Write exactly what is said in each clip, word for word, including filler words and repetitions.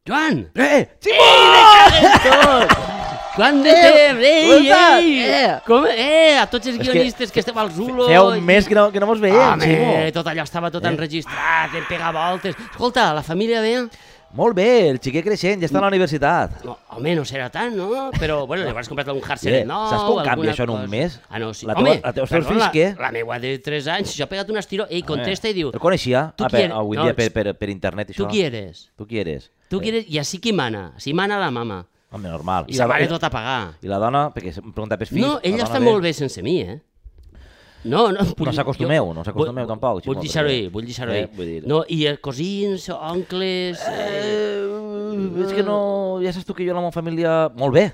Joan! Eh! Ei, me caguen tot! Quant de temps! Ei, ei! Com? Eh, a tots els guionistes que esteu al Zulo... Feia un mes que no, que no mos veiem, Ximo. Home, tot allò estava tot enregistrat, em pega voltes... Escolta, la família bé? Molt bé, el xiquet creixent, ja està a la universitat. No, home, no serà tant, no? Però, bueno, li hauràs comprat un hardset nou... Saps com canvia alguna això en un cosa. mes? Ah, no, sí. La Home, teva- la teva- els teus perdona, fills què? La meua de tres anys, jo he pegat un estiró, ell contesta i diu... El coneixia? Tu Ah, qui per, eres? avui No, dia per, per, per internet, Tu això. qui eres? Tu qui eres? Tu qui eres? I així qui mana? Si mana la mama. Home, normal. I sa mare tot a pagar. I la dona, perquè em pregunta pels fills... No, la ella dona està ve- molt bé sense mi, eh? No, no... No s'acostumeu, no s'acostumeu vull- tampoc, Ximo, Vull deixar-ho perquè- ir, vull deixar-ho Eh, ir. vull dir- No, i eh, cosins, oncles... Eh... Eh, és que no... Ja saps tu que jo la meva família... Molt bé,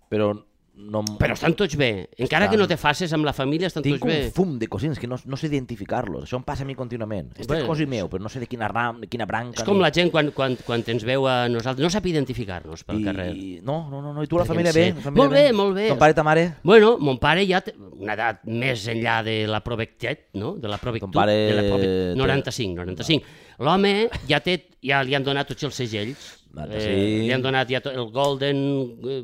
però no... Però estan tots bé. Encara que no te faces amb la família, estan Tinc tots bé. un fum de cosins que no, no sé identificar-los. Això em passa a mi contínuament. Este Bé, és cosí meu, però no sé de quina ram, de quina branca... És com ni- la gent quan, quan, quan ens veu a nosaltres. No sap identificar-nos pel I, carrer. I, no, no, no, no, i tu la Perquè família en bé? sé- La família Molt bé, molt bé. Ton pare i ta mare? Bueno, mon pare ja té una edat més enllà de la provectet, no? De la provectut. Ton pare de la prove... té- noranta-cinc, noranta-cinc. L'home ja, té, ja li han donat tots els segells. noranta-cinc. Eh, li han donat ja to- el Golden... Eh,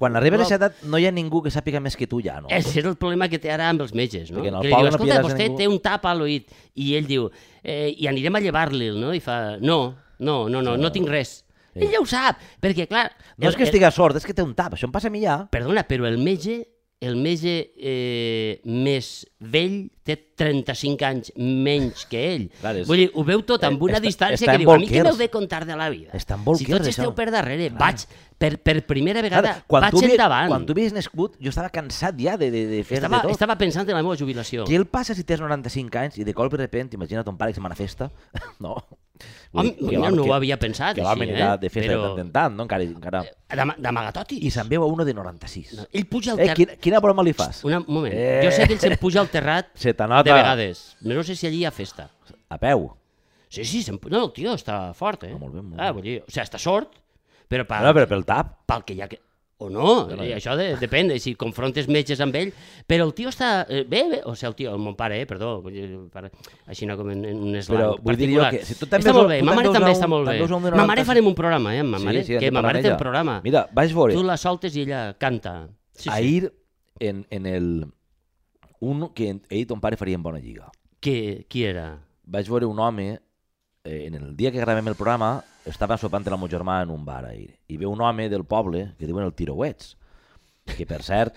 Quan arribes a Globe. aquesta edat no hi ha ningú que sàpiga més que tu ja, no? Ese és el problema que té ara amb els metges, no? Perquè en el Que li poble diu, no escolta, pillaràs a vostè ningú." té un tap a l'oït. I ell diu, eh, i anirem a llevar-li'l, no? I fa, no, no, no, no, no tinc res. Ell ja ho sap, perquè clar... No és que estigui sord, és que té un tap, això em passa a mi ja. Perdona, però el metge, el metge eh, més vell té trenta-cinc anys menys que ell. Clar, és- Vull dir, ho veu tot amb una està- distància està que en diu, a mi què bolquers. m'heu de contar de la vida? Està en Si bolquers, tots esteu això. per darrere, vaig, per, per primera vegada, Clar, quan, tu vaig havies, endavant. quan tu havies nascut, jo estava cansat ja de, de, de fer Estava, de tot. estava pensant en la meva jubilació. Què el passa si tens noranta-cinc anys i de colp de repent, imagina ton pare que se manifesta? No. Home, Vull dir, mira, no que- ho havia pensat que així, vam anirà eh? de festa Però- de tant en tant, no? Encara, encara... D'ama- D'amagatotis. I se'n veu a uno de noranta-sis. No, ell puja al Eh, terrat... quina, quina broma li fas? Una, un moment, Eh. jo sé que ell se'n puja al terrat Se t'anota. de vegades. No sé si allí hi ha festa. A peu. Sí, sí, se'n pu- no, el tio està fort, eh? Ah, molt bé, molt ah, bé. vull dir, o sigui, està sort, però pel, No, però pel tap. pel que hi ha que... O no, no, eh, no. això de, depèn, de si confrontes metges amb ell, però el tio està eh, bé, bé, o sigui, el tio, el mon pare, eh, perdó, vull dir, pare, així no com en, en un eslang Però vull dir jo particular. que si tu també està veus- molt bé, tu ma també mare veus també a està un- molt bé. també veus a un de Ma mare noranta-sis. farem un programa, eh, amb ma mare, Sí, sí, en que ma parlarem mare té ella. un programa. Mira, vaig veure. Tu la soltes i ella canta. Sí, sí. Ahir, en, en el... Un que ell i ton pare farien bona lliga. Qui, qui era? Vaig veure un home, eh, en el dia que gravem el programa, estava sopant amb el meu germà en un bar ahir, i ve un home del poble que diuen el Tirauets, que per cert,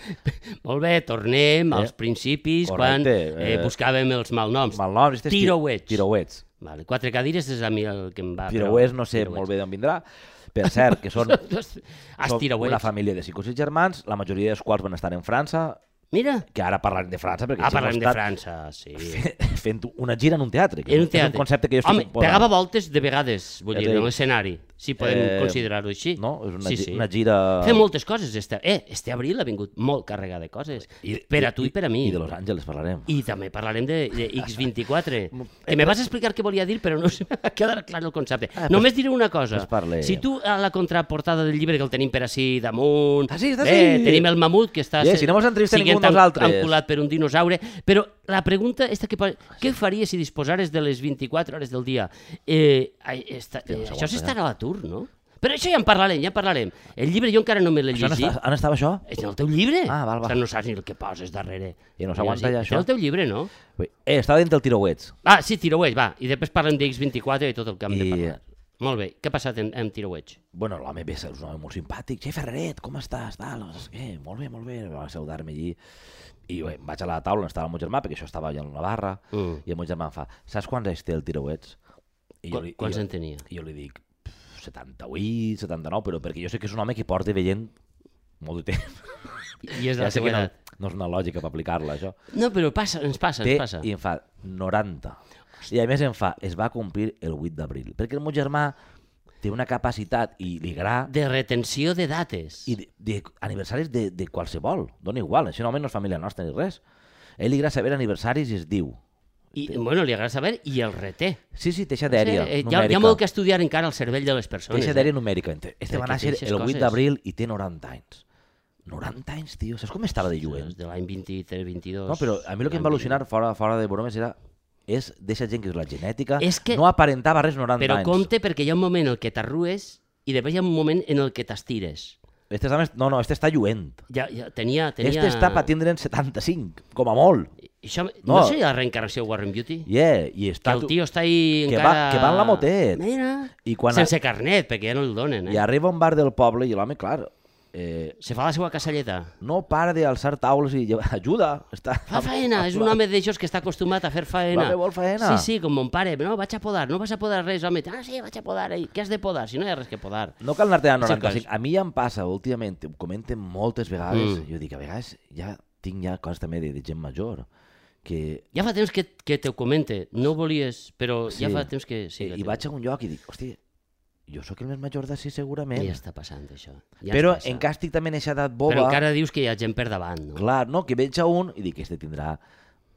Molt bé, tornem als Eh, principis correcte, quan eh, eh, buscàvem els malnoms. malnom, este és Ti- Tirauets. Tirauets. Vale, quatre cadires és a mi el que em va... Tirauets no sé molt bé d'on vindrà, per cert, que són, Has són tirauets. una família de cinc o sis germans, la majoria dels quals van estar en França, Mira, que ara parlarem de França, perquè ah, si hem parlem de estat França, sí. fent una gira en un teatre, que En un és teatre. un concepte que jo estic Home, posant. pegava voltes de vegades, vull És dir, a dir, en l'escenari, si podem eh, considerar-ho així. No? És una, sí, gi- sí. una gira... Fem moltes coses. Este, eh, este abril ha vingut molt carregat de coses. per a tu i per a mi. I de Los Angeles parlarem. I també parlarem de, de X vint-i-quatre. Que me vas explicar què volia dir, però no se m'ha quedat clar el concepte. Ah, Només diré una cosa. pues parle. Si tu a la contraportada del llibre, que el tenim per ací damunt... Ah, sí, està bé, així. tenim el mamut, que està Yeah, si no mos entrevista ningú siguent de nosaltres. enculat per un dinosaure. Però la pregunta esta que posa, què faries si disposares de les vint-i-quatre hores del dia? Eh, ai, esta, eh, no això s'aguanta, s'estarà a l'atur, no? Però això ja en parlarem, ja en parlarem. El llibre jo encara no me l'he Això on, llegit. està, on estava això? És en el teu llibre? Ah, val, val. O sigui, no saps ni el que poses darrere. I no s'aguanta ja, És això. el teu llibre, no? Eh, estava dins del Tirauets. Ah, sí, Tirauets, va. I després parlem de X vint-i-quatre i tot el que hem de I- parlar. Molt bé. Què ha passat en, en Tirauets? Bueno, l'home ve, és un home molt simpàtic. Xef Ferreret, com estàs? Tal, no sé què, molt bé, molt bé. Va saludar-me allí. I bé, vaig a la taula on estava el meu germà, perquè això estava allà en la barra, Mm. i el meu germà em fa, saps quants anys té el Tirauets? I Qu- quants i en tenia? I jo li dic, setanta-vuit, setanta-nou, però perquè jo sé que és un home que porta veient molt de temps. I és de la sé que seva no, edat. no és una lògica per aplicar-la, això. No, però passa, ens passa, Té, ens passa. I em fa noranta. I a més em fa, es va complir el vuit d'abril. Perquè el meu germà té una capacitat i li agrada De retenció de dates. i de, de aniversaris de, de qualsevol. Dona igual, això no és família nostra ni res. A ell li agrada saber aniversaris i es diu. I, bueno, li agrada saber i el reté. Sí, sí, teixa dèria Eh, hi, ha, numèrica. hi ha molt que estudiar encara al cervell de les persones. Teixa eh? dèria numèrica. Este va Perquè néixer teixes el vuit coses. d'abril i té noranta anys. noranta anys, tio. Saps com estava de lluent? De l'any vint-i-tres vint-i-dos. No, però a mi el que em va al·lucinar, fora, fora de bromes, era és d'eixa gent que és la genètica, És que- no aparentava res noranta Però anys. compte perquè hi ha un moment en què t'arrues i després hi ha un moment en el que t'estires. Este està més... No, no, este està lluent. Ja, ja tenia, tenia... Este està per tindre'n setanta-cinc, com a molt. Això, no. No. no sé la reencarnació de Warren Beauty? Yeah, i Que està... el tio està ahí que encara... Va, que va en la motet. Mira, I quan sense carnet, perquè ja no el donen. Eh? I arriba a un bar del poble i l'home, clar, eh, Se fa la seva casalleta. no para d'alçar taules i llevar... ajuda. Està... Fa faena, és un home d'aixòs que està acostumat a fer faena. L'home vol faena. Sí, sí, com mon pare. No, vaig a podar, no vas a podar res, home. Ah, sí, vaig a podar. Ei, què has de podar? Si no hi ha res que podar. No cal anar-te a És el noranta-cinc. cas. A mi ja em passa, últimament, ho comenten moltes vegades, Mm. jo dic, a vegades ja tinc ja coses també de, de gent major, que... Ja fa temps que, que te ho comente. No volies, però Sí. ja fa temps que... Sí, I, que I te- vaig a un lloc i dic, hosti, jo sóc el més major d'ací segurament, Ja està passant, això. Ja però ens passa. encara estic també en aquesta edat boba, Però encara dius que hi ha gent per davant, no? clar, no, que veig a un i dic, este tindrà,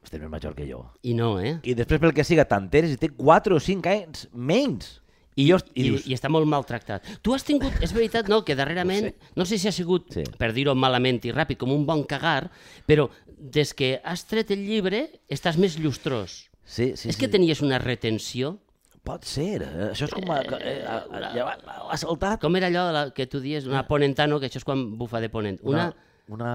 este és més major que jo. I no, eh? I després pel que siga, t'enteres i té quatre o cinc anys menys. I, jo, i I, dius, I està molt maltractat. Tu has tingut, és veritat, no?, que darrerament, no, no sé si ha sigut, Sí. per dir-ho malament i ràpid, com un bon cagar, però des que has tret el llibre estàs més llustrós. sí, sí, és sí. que tenies una retenció? Pot ser, eh? Això és com... A, eh, a, a, ja va- ha saltat. Com era allò la, que tu dies, una ponentano, que això és quan bufa de ponent? Una, Una...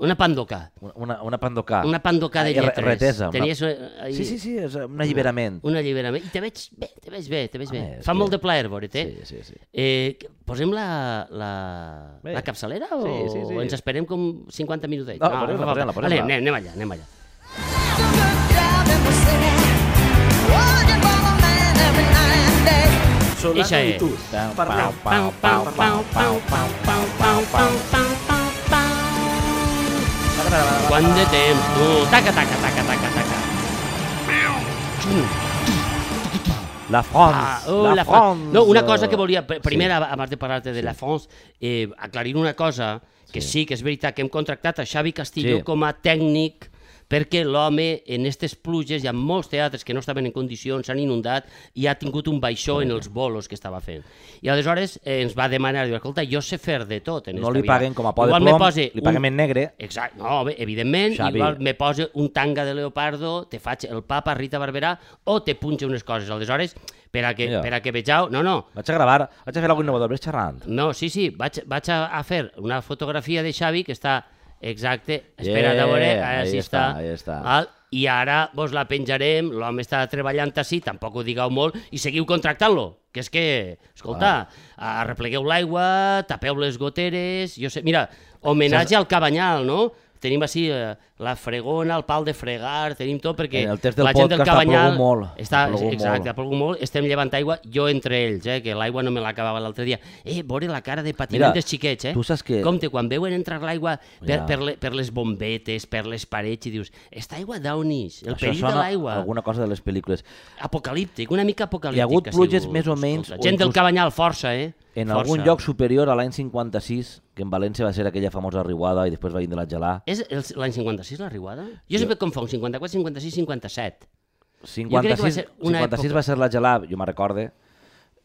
una pandoca. Una, una pandocà. Una pandoca de Ah, re- lletres. retesa, una- Tenies, eh, ahí, Sí, sí, sí, és un alliberament. Un alliberament. I te veig bé, te veig bé, te veig bé. Home, és Fa que- molt de plaer veure't, Sí, sí, sí. Eh, que- posem la, la, Bé. la capçalera o, Sí, sí, sí. o ens esperem com cinquanta minutets? No, posem-la, va, va, posem-la, va. posem-la. Ale, anem, anem allà, anem allà. Eixa és. Pau, Pau, pau, pau, pau, pau, pau, pau, pau, pau, pau, pau. Quant de temps, tu? Taca, taca, taca, taca, taca. La France, Ah, oh, la, la France. No, una cosa que volia, pr- primer, Sí. abans de parlar-te de la France, eh, aclarir una cosa, que sí. Sí. que és veritat que hem contractat a Xavi Castillo Sí. com a tècnic perquè l'home en aquestes pluges, hi ha molts teatres que no estaven en condicions, s'han inundat i ha tingut un baixó en els bolos que estava fent. I aleshores eh, ens va demanar, diu, escolta, jo sé fer de tot en No esta li vida. paguen com a por de Igual me plom, pose li paguem en negre. Exacte, no, bé, evidentment, Xavi. igual me posa un tanga de leopardo, te faig el papa Rita Barberà o te punxa unes coses. Aleshores, per a que, Ja. per a que vegeu... No, no, Vaig a gravar, vaig a fer alguna innovador, ves xerrant. no, sí, sí, vaig, vaig a, a fer una fotografia de Xavi que està exacte, espera't Yeah, a veure, ara ahí sí està, està. ahí està. Val? I ara vos la penjarem, l'home està treballant així, tampoc ho digueu molt, i seguiu contractant-lo, que és que, escolta, arreplegueu l'aigua, tapeu les goteres, jo sé, mira, homenatge al Cabanyal, no? Tenim així eh, la fregona, el pal de fregar, tenim tot perquè En el test del la gent del podcast ha Cabanyal plogut molt, està, ha plogut exacte, molt. ha plogut molt, estem llevant aigua, jo entre ells, eh, que l'aigua no me l'acabava l'altre dia. Eh, veure la cara de patiment Mira, dels xiquets, eh? tu saps que- Compte, quan veuen entrar l'aigua per, Ja. per, le, per les bombetes, per les parets, i dius, esta aigua d'on és? El Això perill de sona l'aigua. alguna cosa de les pel·lícules. Apocalíptic, una mica apocalíptic. Hi ha hagut ha pluges sigut, més o menys, escolta. o Gent del inclús- Cabanyal, força, eh? En Força. algun lloc superior a l'any cinquanta-sis, que en València va ser aquella famosa riuada i després va vindre la gelà. És el- l'any cinquanta-sis, la riuada? Jo sempre confonc cinquanta-quatre, cinquanta-sis, cinquanta-set. cinquanta-sis, va ser una cinquanta-sis època- va ser la gelà, jo me'n recorde.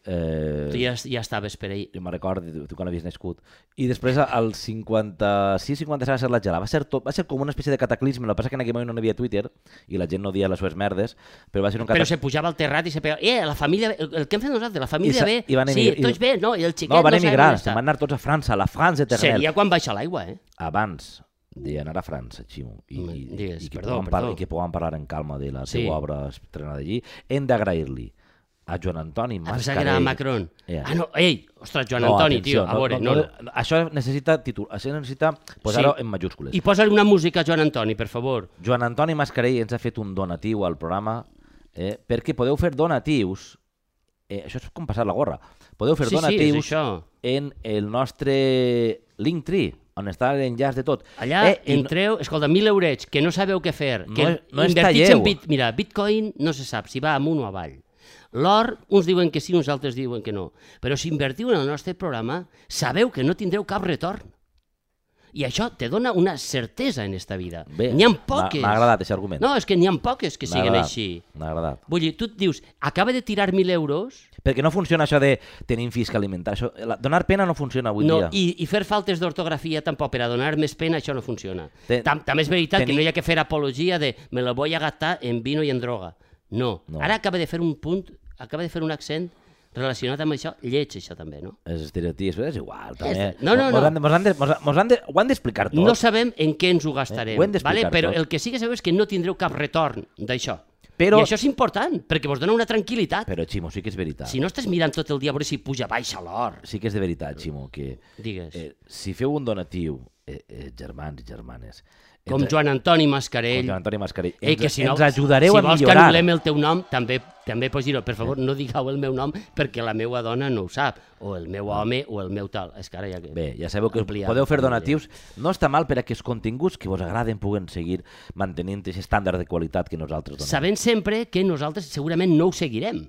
Eh, Tu ja, ja estaves per ahir. jo me'n recordo, tu, tu quan havies nascut. I després, al cinquanta-sis cinquanta-set va ser la gelà. Va ser, tot, va ser com una espècie de cataclisme. El que passa que en aquell moment no hi havia Twitter i la gent no dia les seves merdes, però va ser un Però cataclisme. se pujava al terrat i se pegava... Eh, la família... El, el que hem fet nosaltres, la I família sa- bé... i van sí, emigrar- i- tots bé, no? I el xiquet No, van no sabem emigrar, on se'n està. van anar tots a França, a la France eternel. Seria quan baixa l'aigua, eh? Abans d'anar a França, Ximo, i, Home, i, digues, i, que perdó, puguem par- perdó. i que puguem parlar en calma de la Sí. seva obra estrenada allí, hem d'agrair-li a Joan Antoni A pensar que era Mascarell. Macron. Yeah. Ah, no, ei, ostres, Joan No, Antoni, atenció, tio, a veure, no, no, no. no, això necessita títol, això necessita posar-ho en majúscules. I posa una música a Joan Antoni, per favor. Joan Antoni Mascarell ens ha fet un donatiu al programa eh, perquè podeu fer donatius, eh, això és com passar la gorra, podeu fer Sí, sí, és donatius això. en el nostre Linktree, on està l'enllaç de tot. Allà eh, i no- entreu, escolta, mil eurets, que no sabeu què fer, No que és- no és invertits talleu. en bit... Mira, Bitcoin no se sap si va amunt o avall. L'or, uns diuen que sí, uns altres diuen que no. Però si invertiu en el nostre programa, sabeu que no tindreu cap retorn. I això te dona una certesa en esta vida. Bé, N'hi ha m'ha- poques. M'ha agradat aquest argument. No, és que n'hi ha poques que M'ha siguen agradat, així. M'ha agradat. Vull dir, tu et dius, acaba de tirar mil euros Perquè no funciona això de tenir fisc alimentar. Això, la, donar pena no funciona avui no, dia. i, i fer faltes d'ortografia tampoc, per a donar més pena, això no funciona. Ten- Tam, també és veritat tenir- que no hi ha que fer apologia de me la voy a gastar en vino i en droga. No. No. Ara acaba de fer un punt, acaba de fer un accent relacionat amb això, lleig això també, no? Els estereotips, però és igual. També. No, no, no. Mos han de, mos han de, mos han- mos han de, ho han d'explicar tot. No sabem en què ens ho gastarem, Eh, ho hem d'explicar vale? Però tot. el que sí que sabeu és que no tindreu cap retorn d'això. Però- I això és important, perquè vos dona una tranquil·litat. Però, Ximo, sí que és veritat. Si no estàs mirant tot el dia a veure si puja baixa l'or. Sí que és de veritat, Ximo, que Digues. eh, si feu un donatiu, eh, eh, germans i germanes, Com ens- Joan Antoni com Mascarell. Joan Antoni Mascarell, Ei, ens, que si no, ens ajudareu si a vols que millorar. anul·lem el teu nom, també també pots dir-ho. Per favor, no digueu el meu nom perquè la meva dona no ho sap, o el meu home, o el meu tal. És que ara ja que... Bé, ja sabeu que Ampliar podeu fer la família. donatius. No està mal per a que els continguts que vos agraden puguen seguir mantenint aquest estàndard de qualitat que nosaltres donem. Sabent sempre que nosaltres segurament no ho seguirem.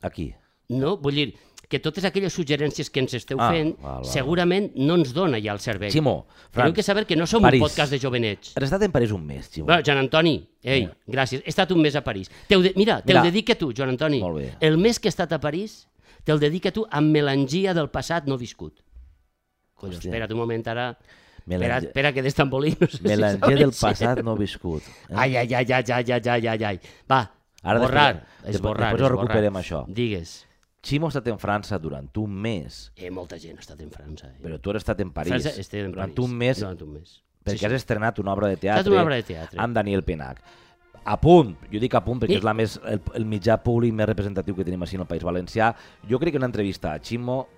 Aquí. No? Vull dir, que totes aquelles suggerències que ens esteu Ah, fent val, val. segurament no ens dona ja el cervell. Ximo, Teniu Franç, que saber que no som París. un podcast de jovenets. has estat en París un mes, Ximo. Bueno, Joan Antoni, ei, gràcies. He estat un mes a París. Teu de... Mira, te'l Mira. dedica tu, Joan Antoni. Molt bé. El mes que he estat a París, te'l dedica tu amb melangia del passat no viscut. Collons, Hòstia. espera't un moment ara. Melange- Espera, espera que d'estambolí no sé Melanger si del sabeu. passat no viscut. Eh? Ai, ai, ai, ai, ai, ai, ai, ai, ai. Va, Ara borrar, després- esborrar, després ho esborrar. recuperem, això. Digues. Ximo ha estat en França durant un mes, Eh, molta gent ha estat en França. Eh. però tu has estat en París França, estic en durant París. un mes Durant un mes. perquè Sí, has sí. estrenat una obra de estat teatre, una obra de teatre. amb Daniel Penach. A punt, jo dic a punt perquè I- és la més, el, el mitjà públic més representatiu que tenim així en el País Valencià. Jo crec que una entrevista a Ximo,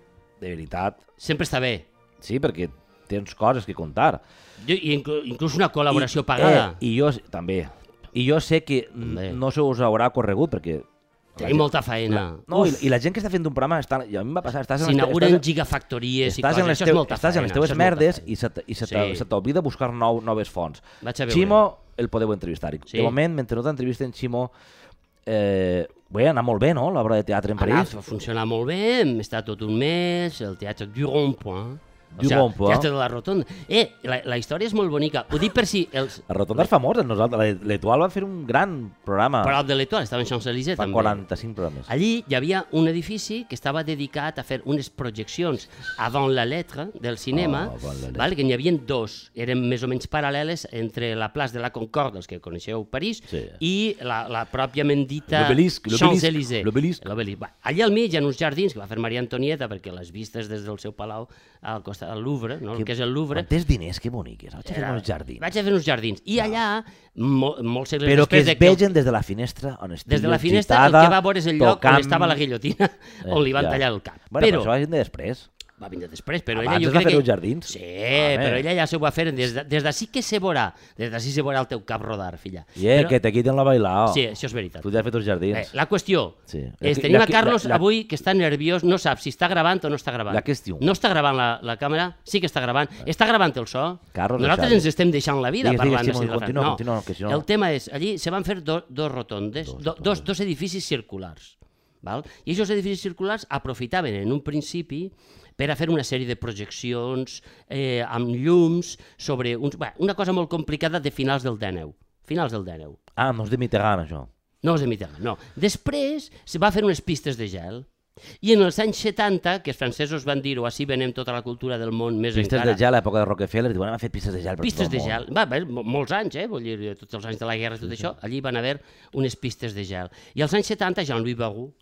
de veritat, Sempre està bé. sí, perquè tens coses que contar. Jo, i inclu, inclús una col·laboració I, pagada. Eh, I jo, també. I jo sé que També. no se us haurà corregut perquè... la Tenim gent- molta feina. No, i, i la gent que està fent un programa, està, i a mi em va passar, estàs en les te- S'inauguren estàs- gigafactories i estàs coses. en les, Això teu, és molta estàs en les feina, teves això és molta merdes feina. i se, t- i se, Sí. t- se t'oblida buscar nou, noves fonts. Vaig a veure. Ximo, el podeu entrevistar. I Sí. De moment, mentre no t'entrevisten, Ximo, eh, bé, anar molt bé, no?, l'obra de teatre en Ha París. anat a funcionar molt bé, hem estat tot un mes, el teatre du Rond-Point. O Du sigui, Rond-Point. teatre de la Rotonda. Eh, la, la història és molt bonica. Ho dic per si els... La Rotonda és famosa, nosaltres. L'Etoile va fer un gran programa, Prop de l'Etoile, estava en Champs-Élysées fa també. quaranta-cinc programes. Allí hi havia un edifici que estava dedicat a fer unes projeccions avant la lettre del cinema, Ah, avant la lettre. vale? Que n'hi havia dos, eren més o menys paral·leles entre la plaça de la Concorde, els que coneixeu París, Sí. i la, la pròpiament dita L'obelisc, l'obelisc, Champs-Élysées. l'obelisc. L'obelisc. Va, allà al mig hi ha uns jardins que va fer Maria Antonieta perquè les vistes des del seu palau al costat del Louvre, no? El que és el Louvre, Quan tens diners, que boniques. Vaig a fer era- uns jardins. Vaig a fer uns jardins. I allà, mo, molts segles Però que després es de que... vegen des de la finestra on estigues Des de la finestra el gitada, que va veure és el lloc tocant- on estava la guillotina, on li van ja. tallar el cap. Bueno, però però això va vindre després. va vindre després, però Abans ella jo es va crec fer que... uns jardins. Sí, Home. però ella ja s'ho va fer des de- des d'ací que se veurà, des d'ací se veurà el teu cap rodar, filla. I eh, Però- que te quiten la bailao. Sí, això és veritat. Tu ja has fet uns jardins. Eh, la qüestió Sí. és, La- tenim la- a Carlos la- la- avui que està nerviós, no sap si està gravant o no està gravant. La qüestió. No està gravant la, la càmera? Sí que està gravant. Està gravant el so? Carlos Nosaltres Xavi. ens estem deixant la vida Digues, parlant digues, de Ximo, continua, no. continua, que si no- El tema és, allí se van fer do, dos rotondes, Dos do, rotondes. dos, dos edificis circulars. Val? I aquests edificis circulars aprofitaven en un principi per a fer una sèrie de projeccions eh, amb llums sobre uns, bé, una cosa molt complicada de finals del dènou. Finals del dènou. Ah, no és de Mitterrand, això. No és de Mitterrand, no. Després se va fer unes pistes de gel. I en els anys setanta, que els francesos van dir-ho, així venem tota la cultura del món més Pistes encara... de gel a l'època de Rockefeller, diuen, hem fet pistes de gel per Pistes tot de el món. gel. Va haver mo- molts anys, eh? Vull dir, tots els anys de la guerra i tot això, allí van haver unes pistes de gel. I als anys setanta, Jean-Louis Barrault,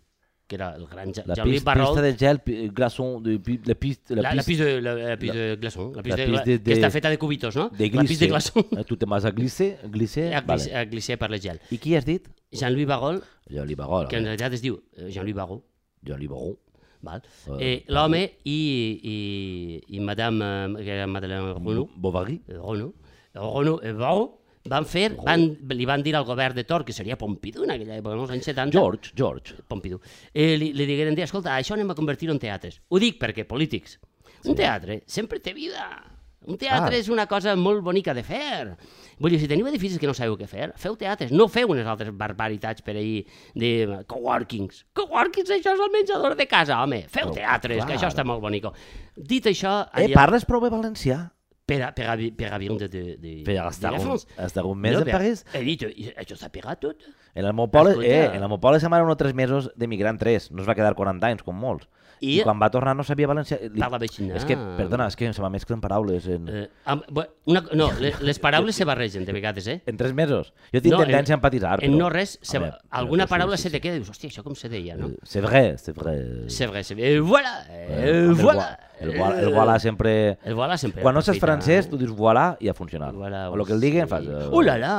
que era el gran La Jean-Louis pista, pista Barrault, de gel, pi- glaçon, de, pi- la pista... la, la pista de, la, la pista de glaçon, la pista la de, pista gla- de- que està feta de cubitos, no? de La pista de glisse. glaçon. Eh, Tu te vas a glisse, glisse, A glissé, vale. a glissé per la gel. I qui has dit? Jean-Louis Barrault, Jean-Louis Barrault. que en realitat es diu eh, Jean-Louis Barrault, Jean-Louis Barrault. val? Eh, Eh, l'home i, i, i madame, eh, que era Madeleine Renaud, Bovary. eh, Renaud, Renaud i Barrault, van fer, van, li van dir al govern de Tor, que seria Pompidou en aquella època, en els anys setanta, George, George. Pompidou, eh, li, li digueren, escolta, això anem a convertir-ho en teatres. Ho dic perquè, polítics, un teatre sempre té vida. Un teatre Ah. és una cosa molt bonica de fer. Vull dir, si teniu edificis que no sabeu què fer, feu teatres, no feu unes altres barbaritats per ahir de coworkings. Coworkings, això és el menjador de casa, home. Feu Oh, teatres, clar. que això està molt bonico. Dit això, Eh, allà, parles prou bé valencià? per, a, per, a, per a vivre de, de, de, Per de estar la un, France. estar un mes No, a per- París? He dit, això s'ha pegat tot. En el meu poble, Escolta. eh, en el meu poble se m'han o tres mesos d'emigrant tres. No es va quedar quaranta anys, com molts. I quan va tornar no sabia valencià. Li... Parlava així. És que, perdona, és que se m'amesclen paraules. En... Eh, amb, una, no, les, les paraules se barregen de vegades, eh? En tres mesos. Jo tinc no, tendència en, a empatitzar, però... En no res, se, veure, alguna sí, paraula sí, se sí. te queda i dius, hòstia, això com se deia, no? C'est vrai, c'est vrai. C'est vrai, c'est vrai. Eh, voilà, eh, voilà. El, el, el voilà sempre... El voilà sempre. Quan no saps francès, tu dius voilà i ha funcionat. Voilà, o el que el diguen fas... Uh, ulala!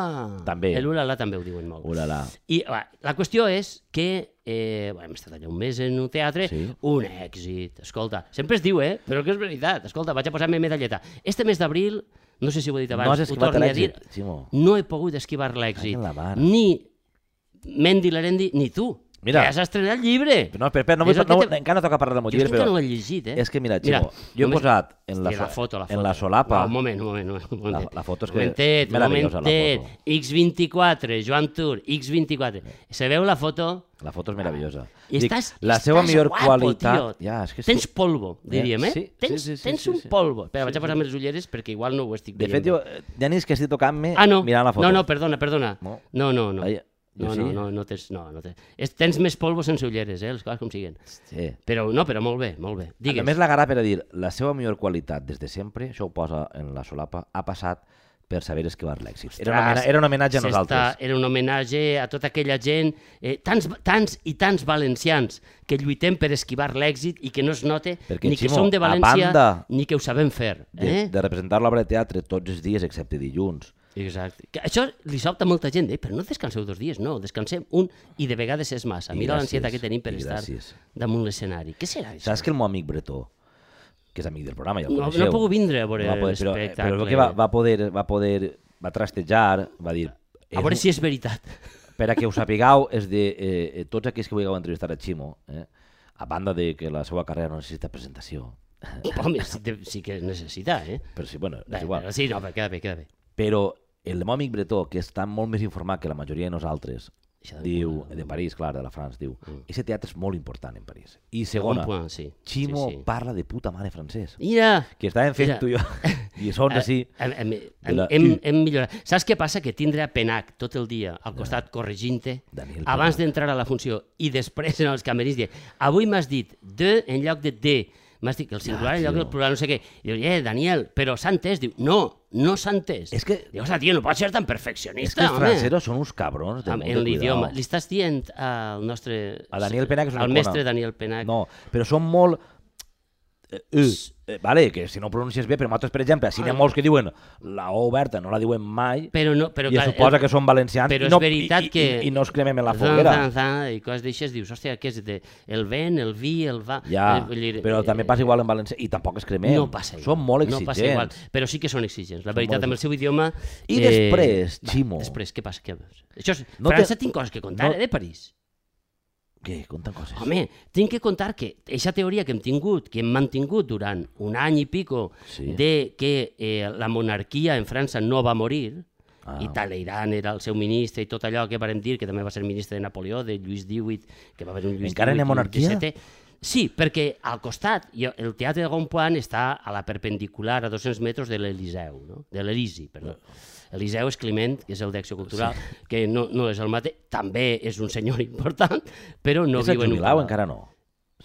També. El ulala també ho diuen molt. Ulala. I va, la qüestió és que eh, bueno, hem estat allà un mes en un teatre, sí. Un èxit. Escolta, sempre es diu, eh? Però que és veritat. Escolta, vaig a posar-me medalleta. Este mes d'abril, no sé si ho he dit abans, no has ho torno a dir, Ximo. No he pogut esquivar l'èxit. Ni Mendi Larendi, ni tu. Mira, que has estrenat el llibre. No, espera, espera, no, no, no, te... encara no toca parlar del meu llibre, però... Jo no l'he llegit, eh? És que, mira, Ximo, mira, jo he només... posat en la, la, foto, la, foto. en la solapa... Va, un moment, un moment, un moment. La, la foto és que... Momentet, momentet, X vint-i-quatre, Joan Tur, X vint-i-quatre. Se veu la foto? La foto és meravellosa. I Dic, estàs, la seva estàs millor guapo, qualitat... Tio. Ja, és que sí. Tens polvo, diríem, eh? Sí, tens sí, sí, tens sí, un sí, polvo. Espera, sí, vaig a posar-me les ulleres perquè igual no ho estic de veient. De fet, jo, ja ni és que estic tocant-me ah, no. mirant la foto. No, no, perdona, perdona. No, no, no. no. Ai, No, sí. no, no, no tens, no, no tens. Tens més polvo sense ulleres, eh, les coses com siguen. Sí. Però no, però molt bé, molt bé. Digues. A més, la garà per a dir, la seva millor qualitat des de sempre, això ho posa en la solapa, ha passat per saber esquivar l'èxit. Era, una, era un homenatge a nosaltres. Era un homenatge a tota aquella gent, eh, tants, tants i tants valencians que lluitem per esquivar l'èxit i que no es note perquè, ni que Ximo, som de València banda, ni que ho sabem fer. Eh? De, de representar l'obra de teatre tots els dies excepte dilluns. Exacte. Que això li sobta a molta gent, eh? Però no descanseu dos dies, no, descansem un i de vegades és massa. Mira l'ansietat que tenim per estar damunt l'escenari. Què serà això? Saps que el meu amic Bretó, que és amic del programa, ja el no, coneixeu. No ha pogut vindre a veure no poder, però, l'espectacle. Però el que va, va poder, va poder, va trastejar, va dir... A veure si és veritat. Per a que ho sapigueu, és de eh, tots aquells que vulgueu entrevistar a Ximo, eh, a banda de que la seva carrera no necessita presentació. Home, sí, sí que necessita, eh? Però sí, bueno, és bé, igual. Sí, no, però queda bé, queda bé. Però el meu amic Bretó, que està molt més informat que la majoria de nosaltres, de diu, de París, clar, de la França, diu, mm. ese teatre és molt important en París. I segona, point, sí. Ximo sí, sí. parla de puta mare francès. Mira! Que estàvem fent tu i jo lliçons així. Hem, hem, hem, hem, hem millorat. Saps què passa? Que tindre a Penac tot el dia al costat corregint-te, abans d'entrar a la funció i després en els camerins, dir, avui m'has dit de en lloc de de, m'has dit que el singular ah, en lloc del plural, no sé què. I diu, eh, Daniel, però s'ha entès? Diu, no, no s'ha entès. És que... Diu, tio, no pots ser tan perfeccionista, És que els home. francesos són uns cabrons de molt de en l'idioma. cuidado. Li estàs dient al nostre... A Daniel Penac és una Al icona. mestre Daniel Penac. No, però són molt... Uh, uh, vale, que si no pronuncies bé, però nosaltres, per exemple, si n'hi ha molts que diuen la O oberta, no la diuen mai, però no, però, i clar, es suposa el, que són valencians, però i, no, és veritat i, que... i, i no es cremem en la foguera. Zan, zan, zan, I coses d'aixes, dius, hòstia, què és? De, el vent, el vi, el va... Ja, eh, dir, però eh, també passa igual en valencià, i tampoc es cremem. No passa igual. Són molt no exigents. passa igual, però sí que són exigents. La Són veritat, molt... amb el seu idioma... I eh... després, Ximo... Va, després, què passa? Què... Això és... No França te... tinc coses que contar, no... eh, de París. Què? Conta coses. Home, tinc que contar que aquesta teoria que hem tingut, que hem mantingut durant un any i pico, sí. de que eh, la monarquia en França no va morir, ah. i Talleyrand era el seu ministre i tot allò que vàrem dir, que també va ser ministre de Napoleó, de Lluís divuit, que va haver un Lluís Encara n'hi ha monarquia? disset. Sí, perquè al costat, el teatre de Gonpoint està a la perpendicular a dos-cents metres de l'Eliseu, no? de l'Elisi, perdó. Eliseu és Climent, que és el d'Acció Cultural, sí. que no, no és el mateix, també és un senyor important, però no és viu en un palau. Encara no.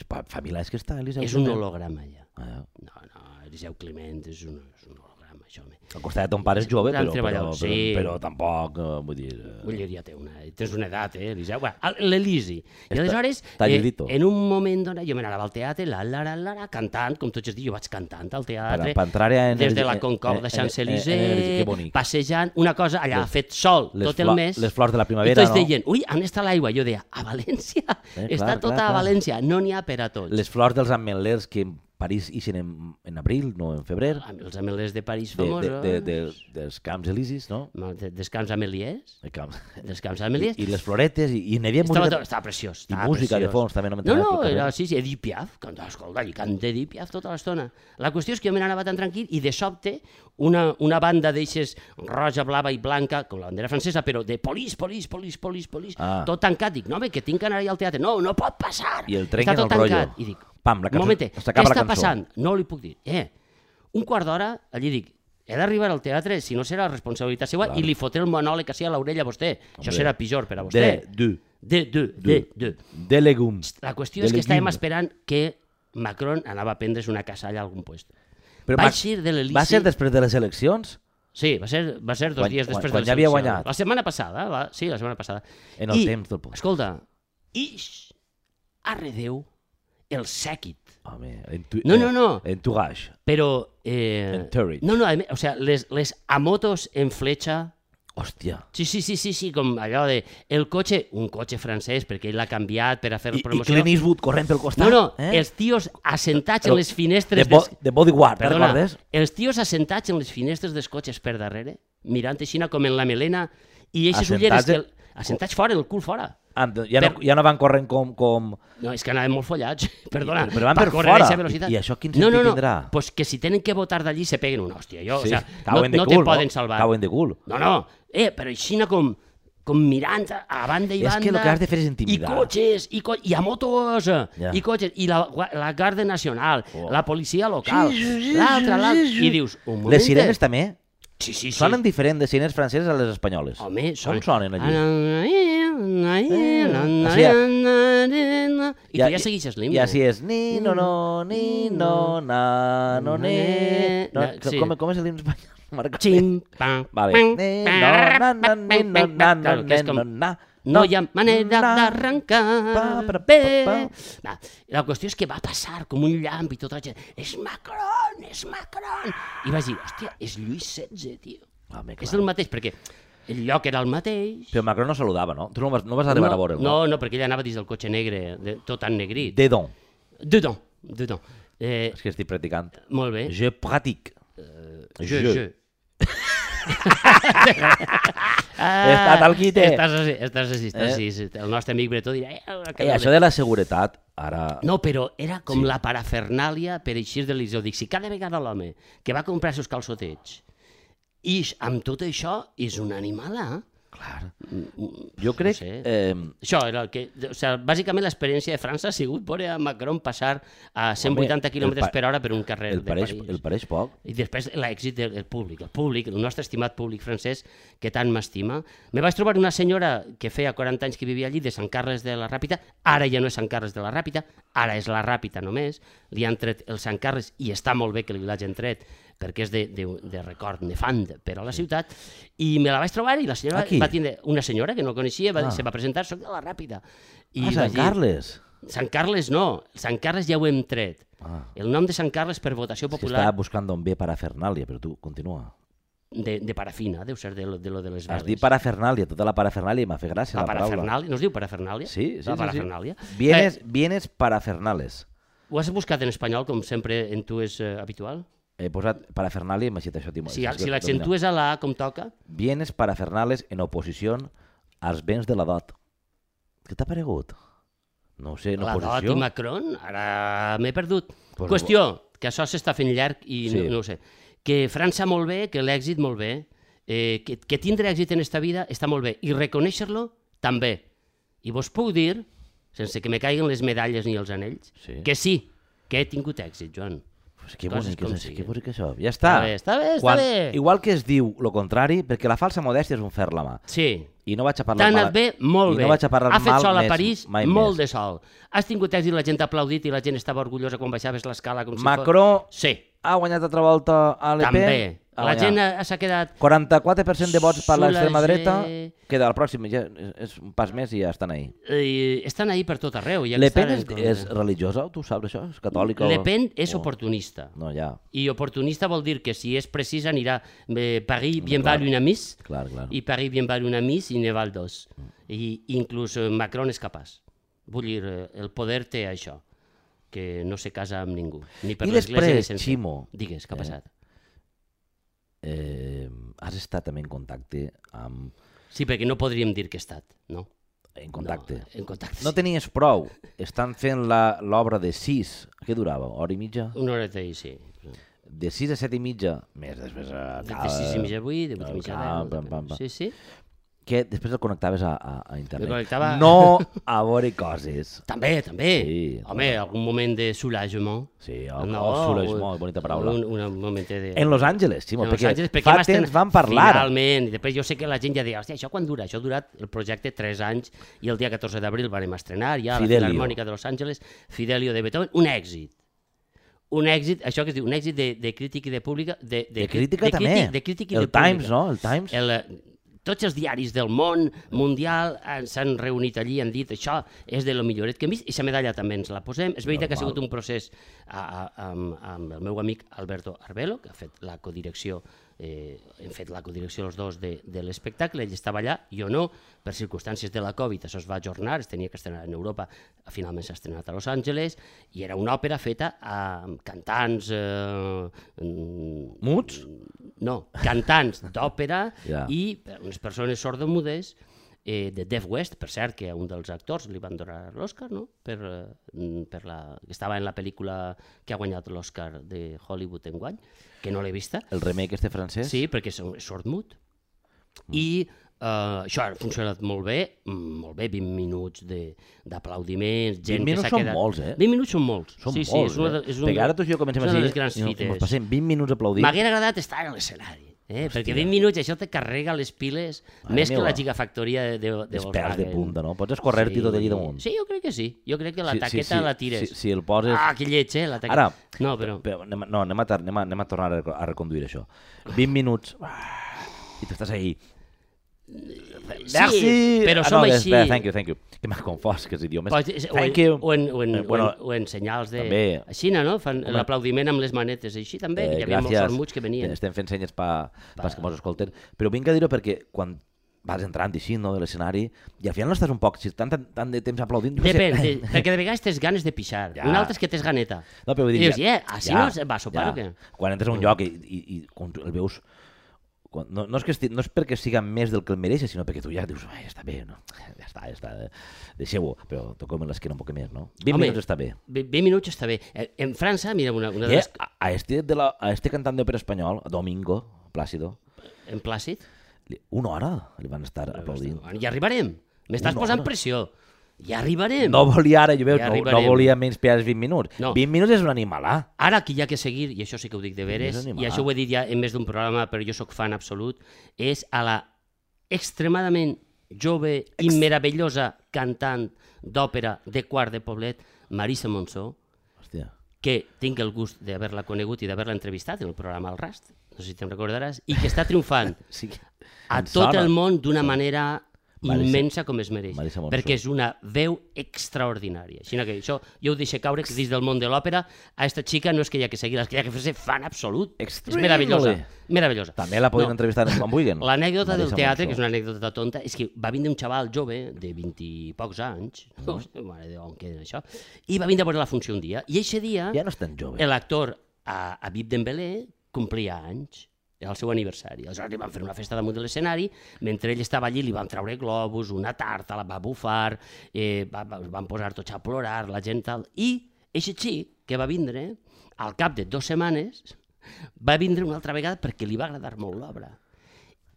Fa milers que està, Eliseu. És un holograma, ja. Ah, ja. No, no, Eliseu Climent és un, és un holograma, això. Al costat de ton pare és jove, però, però, però, sí. però tampoc, uh, vull dir... Uh... Vull dir, ja té una, tens una edat, eh, Eliseu? Bueno, l'Elisi. I aleshores, eh, en un moment donat, jo m'anava al teatre, la, la, la, la, cantant, com tots els dies, jo vaig cantant al teatre, per, per en des de la Concorde de Champs-Élysées, passejant, una cosa allà, les, fet sol tot el mes. Les flors de la primavera, i tots no? deien, ui, on està l'aigua? Jo deia, a València, eh, està clar, tota clar, a clar. València, no n'hi ha per a tots. Les flors dels ametlers que en París ixen en, en abril, no en febrer. Els ametlers de París de, famosos. De, de, de, dels camps elisis, no? De, dels camps ameliers. De camps. Dels camps ameliers. I, I les floretes, i, i n'hi havia estava, música... Estava preciós. I estava música preciós. de fons, també no No, no, pel era, sí, sí, Edith Piaf. Canta, escolta, i canta Edith Piaf tota l'estona. La qüestió és que jo me n'anava tan tranquil i de sobte una, una banda d'eixes roja, blava i blanca, com la bandera francesa, però de polis, polis, polis, polis, polis, ah. tot tancat. Dic, no, home, que tinc que anar allà al teatre. No, no pot passar. I el trenquen Està tot el tancat. rotllo. I dic, pam, la cançó, un momentet, què la està passant? No li puc dir. Eh, un quart d'hora, allí dic, he d'arribar al teatre, si no serà responsabilitat seva, clar. I li fotré el monòleg així a l'orella a vostè. Hombre. Això serà pitjor per a vostè. De, de. De, de, de, de. De legums. La qüestió de és que estàvem esperant que Macron anava a prendre's una casalla a algun lloc. Però Va Mac- eixir de l'Elisi... Va ser després de les eleccions? Sí, va ser, va ser dos Quan- dies quan- després quan de ja havia l'elecció. guanyat. La setmana passada, va, sí, la setmana passada. En el I, temps del post. Escolta, ix, arredeu, el sèquit. Home, en tu, No, no, no. En Tourage. Però... Eh, Entourage. no, no, a més, o sea, les, les amotos en fletxa... Hòstia. Sí, sí, sí, sí, sí, com allò de... El cotxe, un cotxe francès, perquè ell l'ha canviat per a fer I, I promoció. Clint Eastwood corrent pel costat. No, no, eh? els tios assentats Però en les finestres... De, bo, des- de bodyguard, te'n Perdona, recordes? els tios assentats en les finestres dels cotxes per darrere, mirant així com en la melena, i eixes ulleres... Assentats Que, en- el- assentats fora, el cul fora. Ah, ja, no, Per- ja no van corrent com... com... No, és que anaven molt follats, perdona. Però van per córrer a fora. eixa velocitat. I- i això quin no, sentit no, no. tindrà? Pues que si tenen que votar d'allí se peguen una hòstia. Jo, Sí, o sea, no, cauen de no cul, te poden salvar. Cauen de cul. No, no. Eh, però així com, com mirant a banda i És banda. que el que has de fer és intimidar. I cotxes, i, co i a motos, Ja. i cotxes, i la, gua- la Guàrdia Nacional, Oh. la policia local, l'altra, l'altra, i dius, un moment. Les sirenes també Sí, sí, sí. sonen diferent de sirenes franceses a les espanyoles. Home, Com sonen allí? I tu ja segueixes l'himne. I així és ni, no, no, ni, no, na, no, ne... No, Sí. com, com és l'himne espanyol? Marca. Xim, pam, Vale. pam, Ni, no, na, na, ni, no, na, na, Claro, que és ne, com- no, na, No hi ha manera na. d'arrencar Pa, pa, pa, bé. pa. Va, la qüestió és que va passar com un llamp i tota la gent, és Macron, és Macron. I vaig dir, hòstia, és Lluís setze, tio. Home, És clar. el mateix, perquè el lloc era el mateix. Però Macron no saludava, no? Tu no vas, no vas arribar no, a veure'l, no, no, perquè ell anava dins del cotxe negre, de, tot ennegrit. Dedon. Dedans, dedans. Eh, És que estic practicant. molt bé. Je pratique. Je, je. je. He estat al quite. Estàs així, estàs així, estàs Eh? així. sí. El nostre amic Bretó dirà... Eh, que Eh, no això le- de la seguretat, ara... No, però era com Sí. la parafernàlia per eixir de l'Isó. Dic, si cada vegada l'home que va comprar els seus calçotets ix amb tot això, és un animal, eh? Clar. Jo crec... sé. Eh, Això era el que... O sigui, bàsicament l'experiència de França ha sigut veure a Macron passar a cent vuitanta Home, quilòmetres el pa- per hora per un carrer el, de pareix, París. el pareix poc. I després l'èxit del del públic, el públic, el nostre estimat públic francès que tant m'estima. Me vaig trobar una senyora que feia quaranta anys que vivia allí, de Sant Carles de la Ràpita, ara ja no és Sant Carles de la Ràpita, ara és la Ràpita només, li han tret el Sant Carles i està molt bé que li l'hagin tret perquè és de, de, de record nefand per a la ciutat, i me la vaig trobar i la senyora Aquí? va tindre una senyora que no coneixia, va, Ah. se va presentar, soc de la Ràpita. I Ah, vaig Sant dir, Carles. Sant Carles no, Sant Carles ja ho hem tret. Ah. El nom de Sant Carles per votació És que popular estava buscant on ve parafernàlia, però tu continua. de, de parafina, deu ser de lo de, lo de les Has veles. dit parafernàlia, tota la parafernàlia, i m'ha fet gràcia La la, paraula. parafernàlia, no es diu parafernàlia? Sí, sí, la sí, parafernàlia. sí. Bienes, Eh, bienes parafernales. ho has buscat en espanyol, com sempre en tu és eh, habitual? He posat parafernàlia i m'ha dit això. Timo. Si, És que si domina. l'accentues a la A com toca, Bienes parafernales en oposició als béns de la dot. Què t'ha paregut? No ho sé, en la dot oposició? i Macron, ara m'he perdut. Pues Qüestió, que això s'està fent llarg i Sí. no, no ho sé. Que França molt bé, que l'èxit molt bé, eh, que, que tindre èxit en esta vida està molt bé, i reconèixer-lo també. I vos puc dir, sense que me caiguen les medalles ni els anells, Sí. que sí, que he tingut èxit, Joan. Pues que Coses bonic, com és, siguin. que bonic això. Ja està. Està bé, està bé, està Quan, bé. Igual que es diu lo contrari, perquè la falsa modèstia és un fer la mà. Sí, I no vaig a parlar t'ha mal. anat bé? Molt I bé. no vaig a parlar ha fet mal sol a més, París? mai Molt més. de sol. Has tingut èxit, la gent t'ha aplaudit i la gent estava orgullosa quan baixaves l'escala com si Macron fos... Sí, ha guanyat altra volta a Le Pen. també. Ha La guanyat. gent ha- s'ha quedat... quaranta-quatre per cent de vots per l'extrema dreta, Soulager. queda al pròxim, ja és- és un pas més i ja estan ahí. Eh, estan ahí per tot arreu. Ja Le que Pen estan és, en- és religiosa, tu saps això? És catòlica? Le o- Pen és o- oportunista. No, ja, I oportunista vol dir que si és precisa anirà eh, Paris bien clar. val una miss clar, clar. i Paris bien val una miss i ne val dos. I inclús eh, Macron és capaç. Vull dir, eh, el poder té això, que no se casa amb ningú. Ni per I l'església ni després, sense. Ximo, Digues, què ha eh, passat? eh, has estat també en contacte amb... Sí, perquè no podríem dir que he estat, no? En contacte. No, en contacte, No sí. tenies prou. Estan fent la- l'obra de sis. Què durava? Hora i mitja? Una horeta i sí. De sis a set i mitja, més després a... De, de sis i mitja a vuit, de vuit i mitja a Pam, pam, pam, deu. pam. Sí, sí. Que després el connectaves a, a, a internet. El connectava- No a veure coses. També, també. Sí, Home, algun moment de soulagement. Sí, oh, oh, soulagement, bonita paraula. Un, un moment de... En Los Angeles, Ximo, En Los perquè, Angeles, perquè fa hem estrenat- temps vam parlar. Finalment, i després jo sé que la gent ja deia, hòstia, això quan dura? Això ha durat el projecte tres anys i el dia catorze d'abril vam estrenar ja a la Fidelio. Filarmònica de Los Angeles, Fidelio de Beethoven, un èxit. un èxit, això que es diu, un èxit de, de crítica i de pública... De, de, De crítica de, també. Crític, de crítica i El de pública. Times, no? El Times. El, tots els diaris del món mundial s'han reunit allí i han dit això és de lo milloret que hem vist i la medalla també ens la posem. És veritat que ha sigut un procés a, a, amb, amb el meu amic Alberto Arbelo, que ha fet la codirecció, eh, hem fet la codirecció els dos de, de l'espectacle, ell estava allà, jo no, per circumstàncies de la Covid, això es va ajornar, es tenia que estrenar en Europa, finalment s'ha estrenat a Los Angeles, i era una òpera feta amb cantants... Eh, Muts? No, cantants d'òpera Ja. i unes persones sordomudes eh, de Dave West, per cert, que a un dels actors li van donar l'Oscar, no? Per, eh, per la, que estava en la pel·lícula que ha guanyat l'Oscar de Hollywood enguany, que no l'he vista. El remake este francès? Sí, perquè és és sordmut. Mm. I uh, això ha funcionat molt bé, molt bé, vint minuts de- d'aplaudiments, gent vint minuts que s'ha són quedat... molts, eh? vint minuts són molts. Són sí, sí, molts, és una, eh? de- és una, Perquè ara tu i jo comencem és a una dir, de les grans i ens fites. passem vint minuts aplaudint. M'haguera agradat estar a l'escenari, eh? perquè vint minuts això te carrega les piles Mare més que meva. la gigafactoria de, de, de Els pèls Volkswagen. de punta, no? Pots escorrer-t'hi tot allí damunt. Sí, jo crec que sí. Jo crec que la Sí, sí, taqueta sí, la tires. Si, si el poses... Ah, que lleig, eh? La taqueta. Ara, No, però... però anem, a- no, anem a, tar- anem, a, anem a tornar a, rec- a reconduir això. vint minuts... I tu estàs ahí... Sí, però som no, així. Espera, thank you, thank you. Que m'has confós, que és idiomes. Pues, o, en, Thank you. o, en, o, en, Eh, bueno, o, en, o en senyals de... també. A Xina, no? Fan Home. l'aplaudiment amb les manetes, així també. Eh, Hi havia molts gràcies. sormuts que venien. Estem fent senyes pa, pas que mos escolten. Però vinc a dir-ho perquè quan vas entrant així, no, de l'escenari, i al final no estàs un poc, si tant, tant, tant de temps aplaudint... jo què sé. Depèn, de, perquè de vegades tens ganes de pixar. Ja. Un altre és que tens ganeta. No, però vull I dir, dius, eh, així no es va sopar o què? Quan entres a un lloc i, i, i quan tu el veus... Quan, no, no, és que esti, no és perquè siga més del que el mereix, sinó perquè tu ja dius, ja està bé, no? Ja està, ja està, eh, deixeu-ho, però toquem l'esquena un poc més, no? vint Home, minuts està bé. vint minuts està bé. Eh, En França, mira, una, una de Eh, les... a, a, este de la, a este cantant d'òpera espanyol, Domingo Plácido, En Plàcid? li- una hora li van estar aplaudint. Ja arribarem. M'estàs Una posant hora. pressió. Ja arribarem. No volia ara, jo veu, Ja no, no arribarem. volia menys per als vint minuts. No. vint minuts és un animalà. Ara aquí hi ha que seguir, i això sí que ho dic de veres, És animal. i això ho he dit ja en més d'un programa, però jo sóc fan absolut, és a la extremadament jove i meravellosa cantant d'òpera de quart de poblet, Marisa Monsó, Hòstia. que tinc el gust d'haver-la conegut i d'haver-la entrevistat en el programa El Rast, no sé si te'n recordaràs, i que està triomfant Sí. a Em tot sona. el món d'una manera Marisa- immensa com es mereix, Marisa Monsó. perquè és una veu extraordinària. Així que això jo ho deixo caure, que dins del món de l'òpera a esta xica no és que hi ha que seguir-la, és que hi ha que fer-se fan absolut. És Extremely. meravellosa, meravellosa. També la podem No. entrevistar en Van Buigen. L'anècdota del Marisa teatre, Monsó. que és una anècdota tonta, és que va vindre un xaval jove de vint i pocs anys, no sé, mare de on queda això, i va vindre a veure la funció un dia, i eixe dia Ja no és tan jove. l'actor a, a Vip Dembélé complia anys, era el seu aniversari. Aleshores li van fer una festa damunt de l'escenari, mentre ell estava allí li van treure globus, una tarta, la va bufar, eh, va, va, van posar tots a plorar, la gent tal, i eixe xic que va vindre, al cap de dues setmanes, va vindre una altra vegada perquè li va agradar molt l'obra.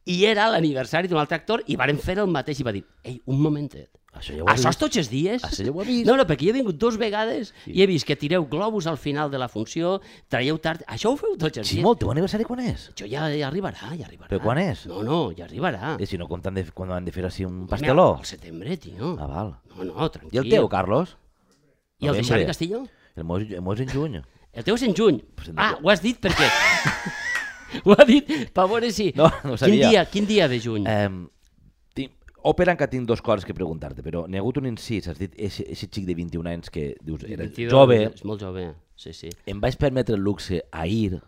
I era l'aniversari d'un altre actor i varen fer el mateix i va dir, ei, un momentet, Això ja ho he això és vist. tots els dies? Això ja ho he vist. No, no, perquè jo he vingut dues vegades i he vist que tireu globus al final de la funció, traieu tard... Això ho feu tots els dies? Ximo, el teu aniversari quan és? Això ja, ja arribarà, ja arribarà. Però quan és? No, no, ja arribarà. I si no compten de, quan han de fer així un pasteló? Al setembre, tio. Ah, val. No, no, tranquil. I el teu, Carlos? I el de Novembre. Xavi Castillo? El meu, el meu és en juny. El teu és en juny. Pues en- Ah, ho has dit perquè... ho ha dit per veure si... No, no ho Quin sabia. dia, quin dia de juny? Eh, tinc, òpera encara tinc dues coses que preguntar-te, però n'hi ha hagut un incís, has dit, aquest xic de vint i un anys que dius, era vint-i-dos, jove, És molt jove, sí, sí. em vaig permetre el luxe a ir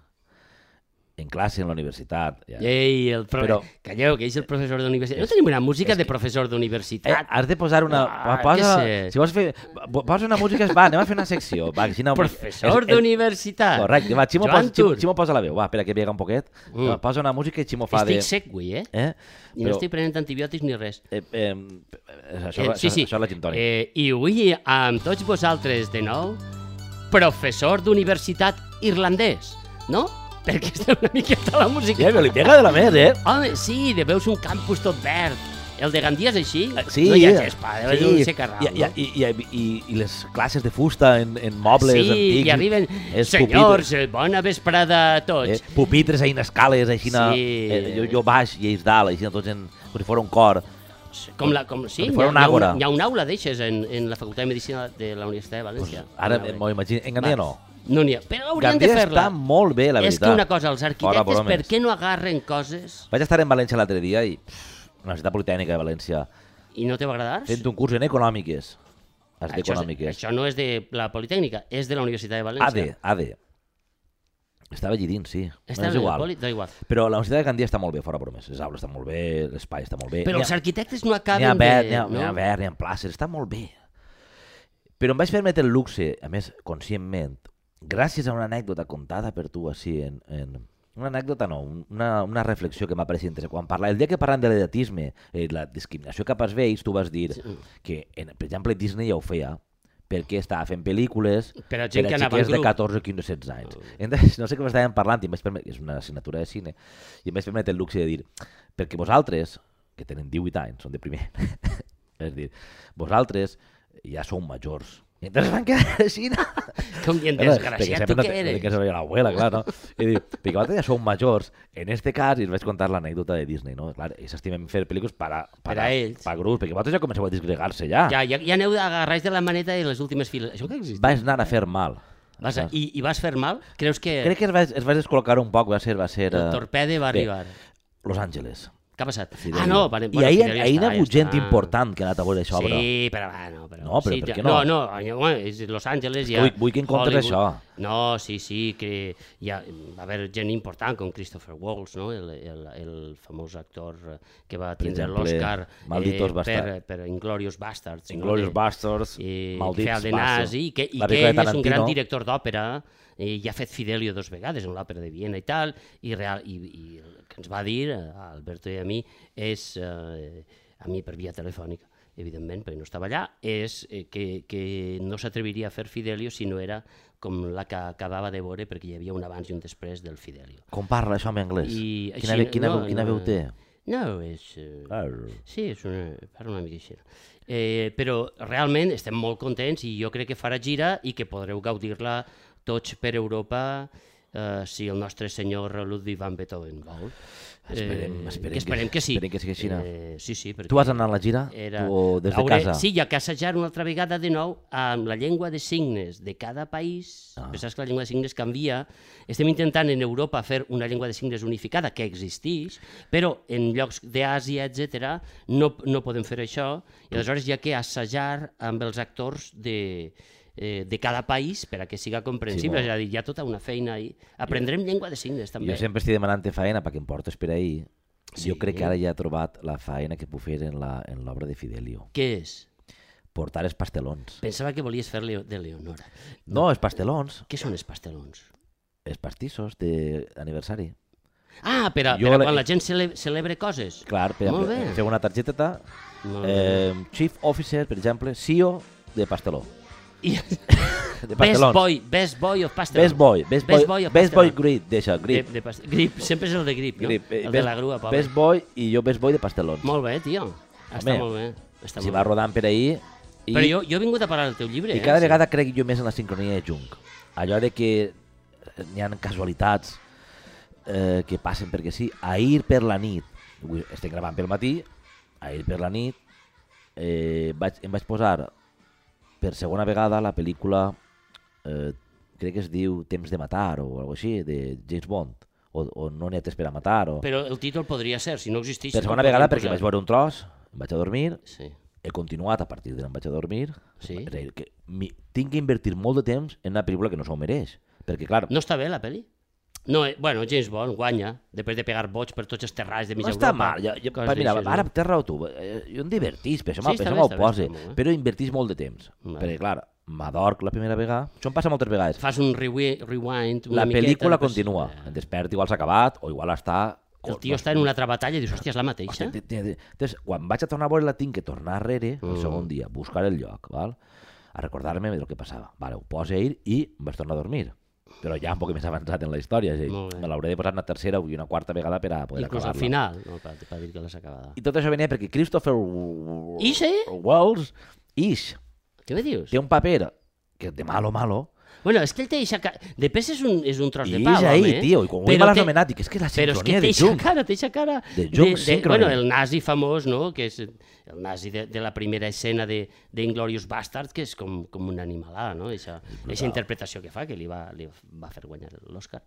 en classe en la universitat. Ja. Ei, el pro... Però- Calleu, que és el professor d'universitat. No tenim una música de professor Eh, d'universitat. has de posar una... Ah, posa, què sé. si vols fer... po- Posa una música... Va, anem a fer una secció. Va, així no, Professor és- és- d'universitat. Correcte, va, Ximo, Joan posa, Ximo, Tur. Ximo posa la veu, va, espera que vega un poquet. Mm. Va, posa una música i Ximo fa Estic de... sec, avui, eh? Eh? I no estic prenent antibiòtics ni res. Eh, eh, això, Eh, sí, això, sí. això és la gin tònica. Eh, I avui, amb tots vosaltres de nou, professor d'universitat irlandès, no? Perquè estem una miqueta a la música. Ja, però li pega de la més, eh? Home, sí, de veus un campus tot verd. El de Gandia és així? Eh, Sí, No hi ha gespa, deu sí. ser un secarral, I, no? i, i, i, i, i les classes de fusta en, en mobles Sí, antics. i arriben, és senyors, eh, bona vesprada a pupitres, tots. eh, pupitres ahí en escales, així, Sí. eh, jo, jo baix i ells dalt, així, tots en, com si fos un cor. Com la, com, sí, com si hi fos ha, una hi ha àgora. hi ha un aula d'eixes en, en la Facultat de Medicina de la Universitat de València. Ara Una- m'ho imagino. En Gandia Va. no. No n'hi ha. Però haurien Gandia de fer-la. està molt bé, la És veritat. que una cosa, els Fora arquitectes, bromes. per què no agarren coses Vaig estar en València l'altre dia i pff, Universitat Politècnica de València i no te va agradar? fent un curs en econòmiques. Has Això, és, d'econòmiques. això no és de la Politècnica, és de la Universitat de València. A D, A D. Estava allí dins, sí. Està No, és en el igual. Poli, da igual. Però la Universitat de Gandia està molt bé, fora bromes. Les aules estan molt bé, l'espai està molt bé. Però N'hi els ha- arquitectes no N'hi ha acaben verd, de... n'hi ha, no? n'hi ha verd, n'hi ha places, està molt bé. Però em vaig permetre el luxe, a més, conscientment, gràcies a una anècdota contada per tu així en... en una anècdota no, una, una reflexió que m'ha pareixit interessant. Quan parla, el dia que parlant de l'edatisme, eh, la discriminació cap als vells, tu vas dir Sí. que, en, per exemple, Disney ja ho feia, perquè estava fent pel·lícules Per a gent per que a anava en xiquets de grup. catorze, quinze, setze anys. Entonces, no sé què m'estàvem parlant, i em vaig permetre, és una assignatura de cine, i em vaig permetre el luxe de dir, perquè vosaltres, que tenen divuit anys, són de primer, és dir, vosaltres ja sou majors. I entonces van quedar així, no? Com bien Perquè desgraciat, sempre tu no què te- eres? que soy l'abuela, clar, no? I diu, perquè vosaltres ja sou majors, en este cas, i us vaig contar l'anècdota de Disney, no? Clar, ells estimen fer pel·lícules per a, Per a ells. per a grups, perquè vosaltres ja comenceu a disgregar-se ja. Ja, ja, ja aneu agarrats de la maneta i les últimes files. Això que existeix? Vas anar a fer mal. Vas a, i, I vas fer mal? Creus que Crec que es va, es va descol·locar un poc, va ser... Va ser el eh, torpede va bé, arribar? Los Ángeles. Què ha passat? Fidelio. Ah, no, vale, I bueno, ahir, Fidelio ahir hi està, ha hagut ja gent està. important que ha anat a veure això, obra. Sí, però bueno, però... No, però sí, per ja- què no? No, no, no, és Los Angeles ja... Vull- vull que en comptes Hollywood. això. No, sí, sí, que hi ha, va haver gent important com Christopher Waltz, no? el, el, el famós actor eh, que va tindre exemple, l'Oscar Malditos per, Bastards. per Inglorious Bastards. Inglorious no? Bastards, I, Maldits que feia el de Bastards. nazi, i que, i La que pel·lícula de ell és un gran Tarantino. director d'òpera, i ja ha fet Fidelio dos vegades en l'òpera de Viena i tal, i, real, i, i el que ens va dir, a Alberto i a mi, és, eh, a mi per via telefònica, evidentment, perquè no estava allà, és eh, que, que no s'atreviria a fer Fidelio si no era com la que acabava de veure, perquè hi havia un abans i un després del Fidelio. Com parla això en anglès? I Quina, així- ve- quina, no, veu- quina no, veu té? No, és... Eh, Ah, Sí, és una, parla una mica així. Eh, però realment estem molt contents i jo crec que farà gira i que podreu gaudir-la tots per Europa eh, si el nostre senyor Ludwig van Beethoven vol. Esperem, Eh, esperem que esperem que, sí. esperem que sigui així. Eh, sí, sí, perquè Tu vas anar a la gira? era... O des de Hauré- casa? Sí, hi ha que assajar una altra vegada de nou amb la llengua de signes de cada país. Ah. Pensaves que la llengua de signes canvia. Estem intentant en Europa fer una llengua de signes unificada que existeix, però en llocs d'Àsia, etcètera, no, no podem fer això, i aleshores hi ha que assajar amb els actors de, eh, de cada país per a que siga comprensible. Sí, és a dir, hi ha tota una feina ahí. Aprendrem llengua de signes, també. Jo sempre estic demanant faena perquè em portes per ahir. Sí. Jo crec que ara ja he trobat la faena que puc fer en la- en l'obra de Fidelio. Què és? Portar els pastelons. Pensava que volies fer Leo, de Leonora. No, els pastelons, Què són els pastelons? els pastissos d'aniversari. Ah, per, a, Jo per a le- quan la gent cele, celebra coses. Clar, per Molt exemple, bé. fer una targeteta, Molt bé. eh, Chief Officer, per exemple, C E O de pasteló. I, De best pastelons. boy, best boy of pastelón. Best Boy, Best Boy, Best boy of Best Boy pastelón. Grip, deixa, Grip. De, de pas- grip, sempre és el de grip, no? Grip. eh, El best, de la grua, pobre. Best Boy i jo Best Boy de pastelons. Molt bé, tio. Està Home, molt bé. Està Si molt va bé. rodant per ahir... I, Però jo, jo he vingut a parlar del teu llibre. I eh? cada Sí. vegada crec jo més en la sincronia de Jung. Allò de que n'hi ha casualitats eh, que passen perquè sí. Ahir per la nit, avui estic gravant pel matí, ahir per la nit eh, vaig, em vaig posar per segona vegada la pel·lícula, eh, crec que es diu Temps de matar o alguna així, de James Bond, o, o No n'hi ha temps per a matar. O... Però el títol podria ser, si no existís... Per no segona el vegada podríem perquè posar. vaig veure un tros, em vaig a dormir, Sí. he continuat a partir de l'en vaig a dormir. Sí. És a dir, que mi, tinc que invertir molt de temps en una pel·lícula que no s'ho mereix. Perquè, clar, No està bé, la pel·li? No, eh, bueno, James Bond guanya, després de pegar boig per tots els terrals de mig no està Europa. mal. Jo, jo, coses pa, mira, d'aixes, ara no? té raó tu. eh, Jo em divertís, per això Sí, me'l està sí, bé, està bé, posa. està molt bé. Però invertís molt de temps. Vale. Perquè, clar, m'adorc la primera vegada. Això em passa moltes vegades. Fas un rewi- rewind, una La miqueta, pel·lícula després- continua. Eh, Em desperto, igual s'ha acabat, o igual està... El tio està en una altra batalla i dius, hòstia, és la mateixa? Hòstia, té- té- Entonces, quan vaig a tornar a veure-la, tinc que tornar enrere el Mm. segon dia, buscar el lloc, val? A recordar-me del que passava. Vale, ho poso a ir i em vaig tornar a dormir. Però ja un poc més avançat en la història. És a dir, Molt bé. me l'hauré de posar una tercera i una quarta vegada per a poder Inclús al acabar-la. final, no, per, per dir que l'has acabada. I tot això venia perquè Christopher I sí? Wells Ish Què me dius? té un paper que és de malo malo, Bueno, és que ell té eixa cara... De pes és un, és un tros de I pal, és ahí, home. tio, i quan ho Però he té- anomenat, dic, és que la Però és que sincronia té de eixa Jung. cara, té eixa cara... De Jung Synchrony. Bueno, el nazi famós, no?, que és el nazi de, de la primera escena de, de Inglourious Basterds, que és com, com una animalada, no?, eixa, eixa interpretació que fa, que li va, li va fer guanyar l'Oscar.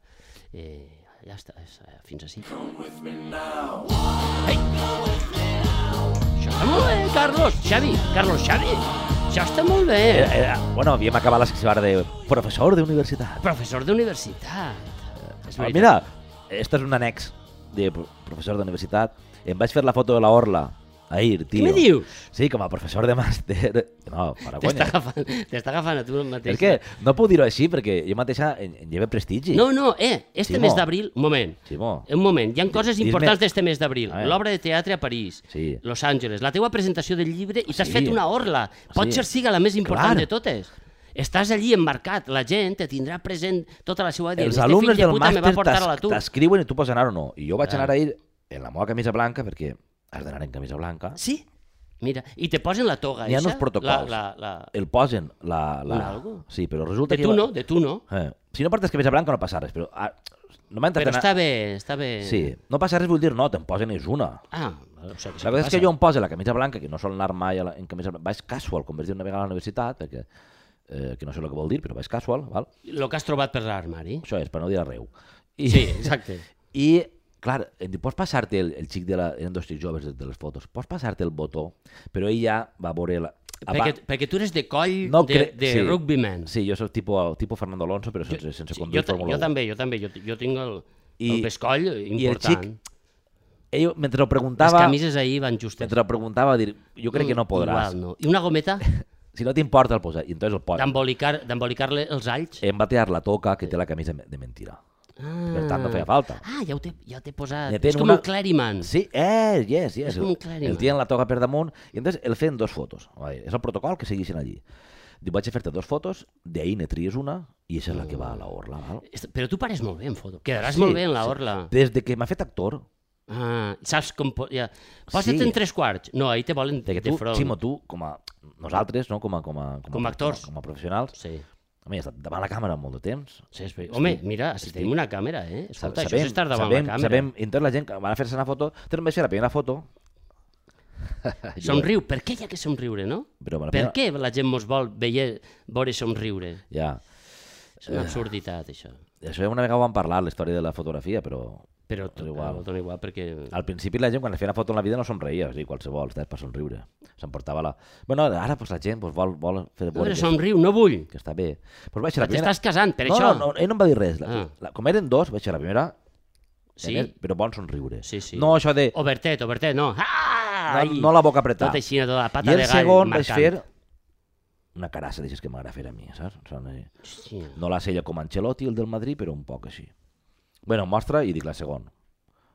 Eh, ja està, és, eh, fins ací. Ei! Això està molt bé, Carlos, Xavi, Carlos Xavi, això està molt bé. Era, era, bueno, havíem acabat la secció ara de professor d'universitat. Professor d'universitat. És Ah, veritat. mira, este és un annex de pro- professor d'universitat. Em vaig fer la foto de la orla ahir, tio. Què me dius? Sí, com a professor de màster. No, para T'està conya. agafant, t'està agafant a tu mateix. És que no puc dir-ho així perquè jo mateixa en, en lleve prestigi. No, no, eh, este Simó. mes d'abril, un moment, Simó. un moment, hi ha coses Dis-me- importants d'este mes d'abril. A veure. L'obra de teatre a París, Sí. Los Angeles, la teua presentació del llibre i t'has Sí. fet una orla. Pot Sí. ser siga la més important Clar. de totes. Estàs allí emmarcat, la gent te tindrà present tota la seva vida. Els Este alumnes fill de del puta me va màster portar a t'es- l'atur. t'escriuen i tu pots anar o no. I jo vaig Ah. anar ahir en la meva camisa blanca perquè has d'anar en camisa blanca. Sí? Mira, i te posen la toga N'hi ha eixa, uns protocols. La, la, la... El posen la... la... Un algo? Sí, però resulta De que... tu jo- no, de tu no. Eh. Si no portes camisa blanca no passa res, però... Ah, no m'ha Però intentat està bé, està bé. Sí, no passa res vull dir no, te'n posen és una. Ah, o sigui, La veritat és que jo em poso la camisa blanca, que no sol anar mai a la, en camisa blanca, vaig casual, com vaig dir una vegada a la universitat, perquè, eh, que no sé el que vol dir, però vaig casual, val? El que has trobat per l'armari. Això és, per no dir arreu. I, Sí, exacte. I, clar, em diu, pots passar-te el, el xic de la... Eren dos xics joves de, de les fotos. Pots passar-te el botó, però ell ja va veure la... Perquè, perquè tu eres de coll No de, cre- de sí. rugbyman. Sí, jo soc tipus, tipus Fernando Alonso, però sense, sense Sí, conduir jo, ta- Fórmula jo u. també, jo també. Jo, jo tinc el, I- el pescoll I el important. xic, ell, mentre ho Les preguntava, camises ahir van justes. mentre ho preguntava, va dir, jo crec que no podràs. Igual, no. I una gometa Si no t'importa el posar. I entonces el posa. d'embolicar- d'embolicar-le els alls. Em va tirar la toca que té la camisa de mentira. Ah. Per tant, no feia falta. Ah, ja ho té, ja ho té posat. Ne És ten com una- un Cleriman. Sí, eh, yes, yes. És com un clèriman. El tien la toga per damunt i entonces el feien dos fotos. Vale, és el protocol que segueixen allí. Diu, vaig a fer-te dos fotos, d'ahir ne tries una i aquesta és la que va a la orla. Val? Est- Però tu pares molt bé en foto. Quedaràs Sí, molt bé en la sí. orla. Des de que m'ha fet actor, Ah, saps com... po- Ja. Posa't Sí. en tres quarts. No, ahir te volen perquè de tu, front. Ximo, tu, com a nosaltres, no? com, a, com, a, Com a actors. com a, com a professionals, Sí. home, he estat davant la càmera molt de temps. Sí, és veritat. Home, mira, si estic- tenim una càmera, eh? Escolta, Sabem- això és estar davant sabem, la càmera. Sabem, i entonces la gent que van a fer-se una foto, te'n vaig fer la primera foto. Jo- Somriu, per què hi ha que somriure, no? Però la Per primera- què la gent mos vol veure, veure somriure? Ja. És una absurditat, això. Això una vegada ho vam parlar, la història de la fotografia, però Però és igual. Però dona igual perquè... al principi la gent quan es feia una foto en la vida no somreia, o sigui, qualsevol, estàs per somriure. S'emportava la... Bueno, ara pues, la gent pues, vol, vol fer No, veure però que, somriu, no vull. que està bé. Pues vaig ser la T'estàs primera... casant, per no, això. No, no, ell no em va dir res. La, Ah. la, com eren dos, vaig ser la primera, Sí. Eren- però bon somriure. Sí, sí. No això de... Obertet, obertet, no. Ah! No, no la boca apretada. Tot així, tota la pata I el de gall segon vaig marcant. fer una carassa d'aixes que m'agrada fer a mi, saps? Són, eh, Hòstia. no la sella com Ancelotti, el del Madrid, però un poc així. Bueno, mostra i dic la segona,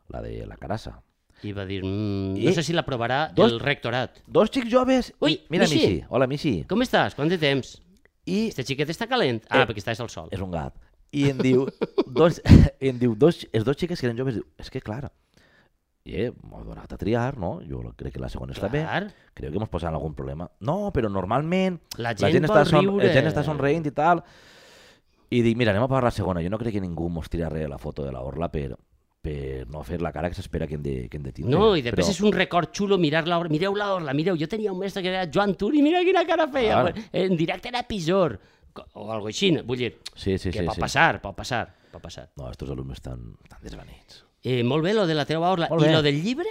la de la carassa. I va dir, mm, I- no sé si l'aprovarà Dos- el rectorat. Dos xics joves... Ui, mira, Mixi. Mixi. Hola, Mixi. Com estàs? Quant de temps? I Este xiquet està calent? Ah, Eh, perquè estàs al sol. és un gat. I em diu, dos, em diu dos, els dos xiques que eren joves, diu, és que clar, i eh, m'ho donat a triar, no? Jo crec que la segona està bé. Clar. Crec que mos posaran algun problema. No, però normalment La gent està, vol riure. la gent està somreint i tal. I dic, mira, anem a pagar la segona. Jo no crec que ningú mos tira res a la foto de la orla per, per no fer la cara que s'espera que hem de, que hem de tindre. No, i després Però- és un record xulo mirar la orla. Mireu la orla, mireu, jo tenia un mestre que era Joan Turi, mira quina cara feia. Clar. En directe era Pisor. O algo així, vull dir, Sí, sí, que sí. pot sí. passar, pot passar, pot passar. No, estos alumnes estan, estan desvanits. Eh, molt bé, lo de la teva orla. Molt I bé. lo del llibre?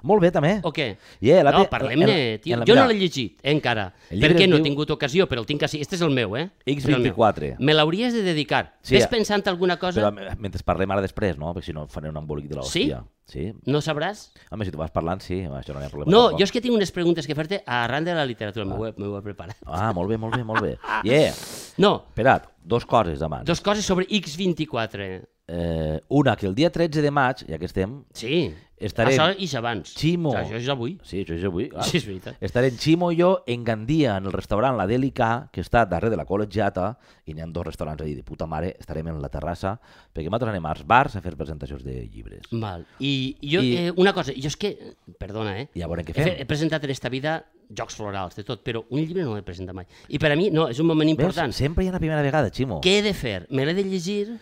Molt bé, també. O què? Yeah, la No, te- parlem-ne, en- tio. en la- Jo no mira, l'he llegit, eh, encara. El llibre Perquè es no he diu- tingut ocasió, però el tinc així. Este és el meu, eh? X És el meu. vint-i-quatre. Me l'hauries de dedicar. Sí, Ves eh, pensant alguna cosa? Però eh, mentre parlem ara després, no? Perquè si no faré un embolic de l'hòstia. Sí? No sabràs? Home, si tu vas parlant, sí. Home, això no hi ha problema. No, tampoc. jo és que tinc unes preguntes que fer-te arran de la literatura. M'ho he, m'ho he preparat. Ah, molt bé, molt bé, molt bé. Yeah. No, Espera't, dos coses abans. dos coses sobre X vint-i-quatre. Eh, una, que el dia tretze de maig, ja que estem, Sí, estarem... això és abans. Ximo. Això és avui. Sí, això és avui. Clar. Sí, és veritat. Estarem Ximo i jo en Gandia, en el restaurant La Delica, que està darrere de la col·legiata, i n'hi ha dos restaurants allà de puta mare, estarem en la terrassa, perquè nosaltres anem als bars a fer presentacions de llibres. Val. I jo, I- eh, una cosa, jo és que, perdona, eh? I a veure què He, fe- fem. he presentat en esta vida jocs florals, de tot, però un llibre no l'he presentat mai. I per a mi, no, és un moment important. Ves? Sempre hi ha una primera vegada, Ximo. Què he de fer? Me l'he de llegir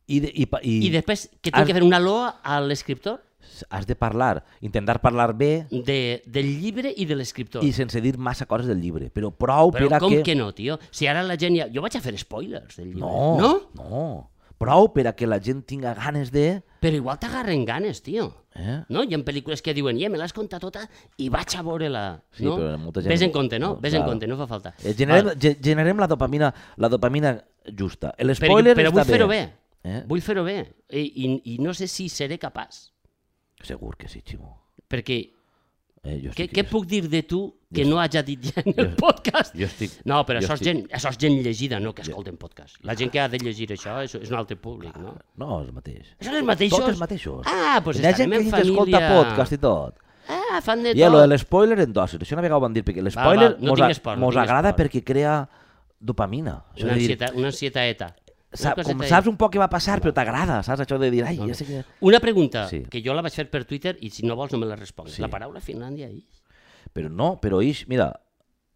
I, de, i, pa- i, i després que has- tinc que fer una loa a l'escriptor has de parlar, intentar parlar bé de, del llibre i de l'escriptor. i sense dir massa coses del llibre, però prou Però per a com que... que no, tio? Si ara la gent ja... Jo vaig a fer spoilers del llibre. No, No? no. Prou per a que la gent tinga ganes de... Però igual t'agarren ganes, tio. Eh? No? Hi ha pel·lícules que diuen, ja, me l'has contat tota i vaig a veure-la. Sí, no? però molta gent- Ves en compte, no? no, Ves en clar. compte, no fa falta. Eh, generem, Val. ge- generem la dopamina, la dopamina justa. Però, L'espoiler però està vull fer-ho bé. Eh? Vull fer-ho bé. I, i, I no sé si seré capaç. Segur que sí, Ximo. Perquè Eh, jo què, estic, què puc dir de tu que jo no haja dit ja en el podcast? Jo estic... No, però jo això és, estic- gent, això és gent llegida, no que escolten podcast. La gent que ha de llegir això és, és un altre públic, no? No, és el mateix. Són els mateixos? Tots els mateixos. Ah, doncs Hi ha gent estarem que, en que escolta família. podcast i tot. Ah, fan de I a tot. lo de l'espoiler en dosis. Això una vegada ho van dir, perquè l'espoiler val, no mos, tinc a- esport, no mos tinc agrada esport. perquè crea dopamina. Això Una, de dir, ansieta, una ansietaeta. Una sa, com coseta- saps un poc què va passar, però t'agrada, saps? Això de dir, ai, ja sé que... Una pregunta, Sí. que jo la vaig fer per Twitter i si no vols no me la respongues. Sí. La paraula Finlàndia és... Però no, però ix, mira,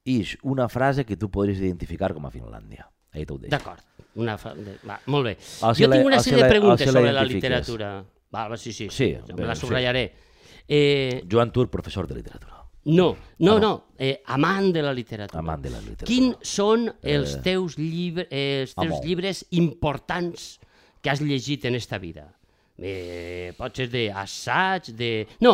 ix una frase que tu podries identificar com a Finlàndia. Ahí t'ho deixo. D'acord. Una fa... de... Va, molt bé. O si jo la- tinc una o si sèrie la- de preguntes o si la sobre la identifiques. literatura. Va, va, sí, sí. Sí, me bé, la sí. subratllaré. Eh, Joan Tur, professor de literatura. no, no, Ah, no. no. Eh, amant de la literatura. Amant de la literatura. Quins són els teus, llibre, eh, els teus Amor. llibres importants que has llegit en esta vida? Eh, pot ser d'assaig, de... No,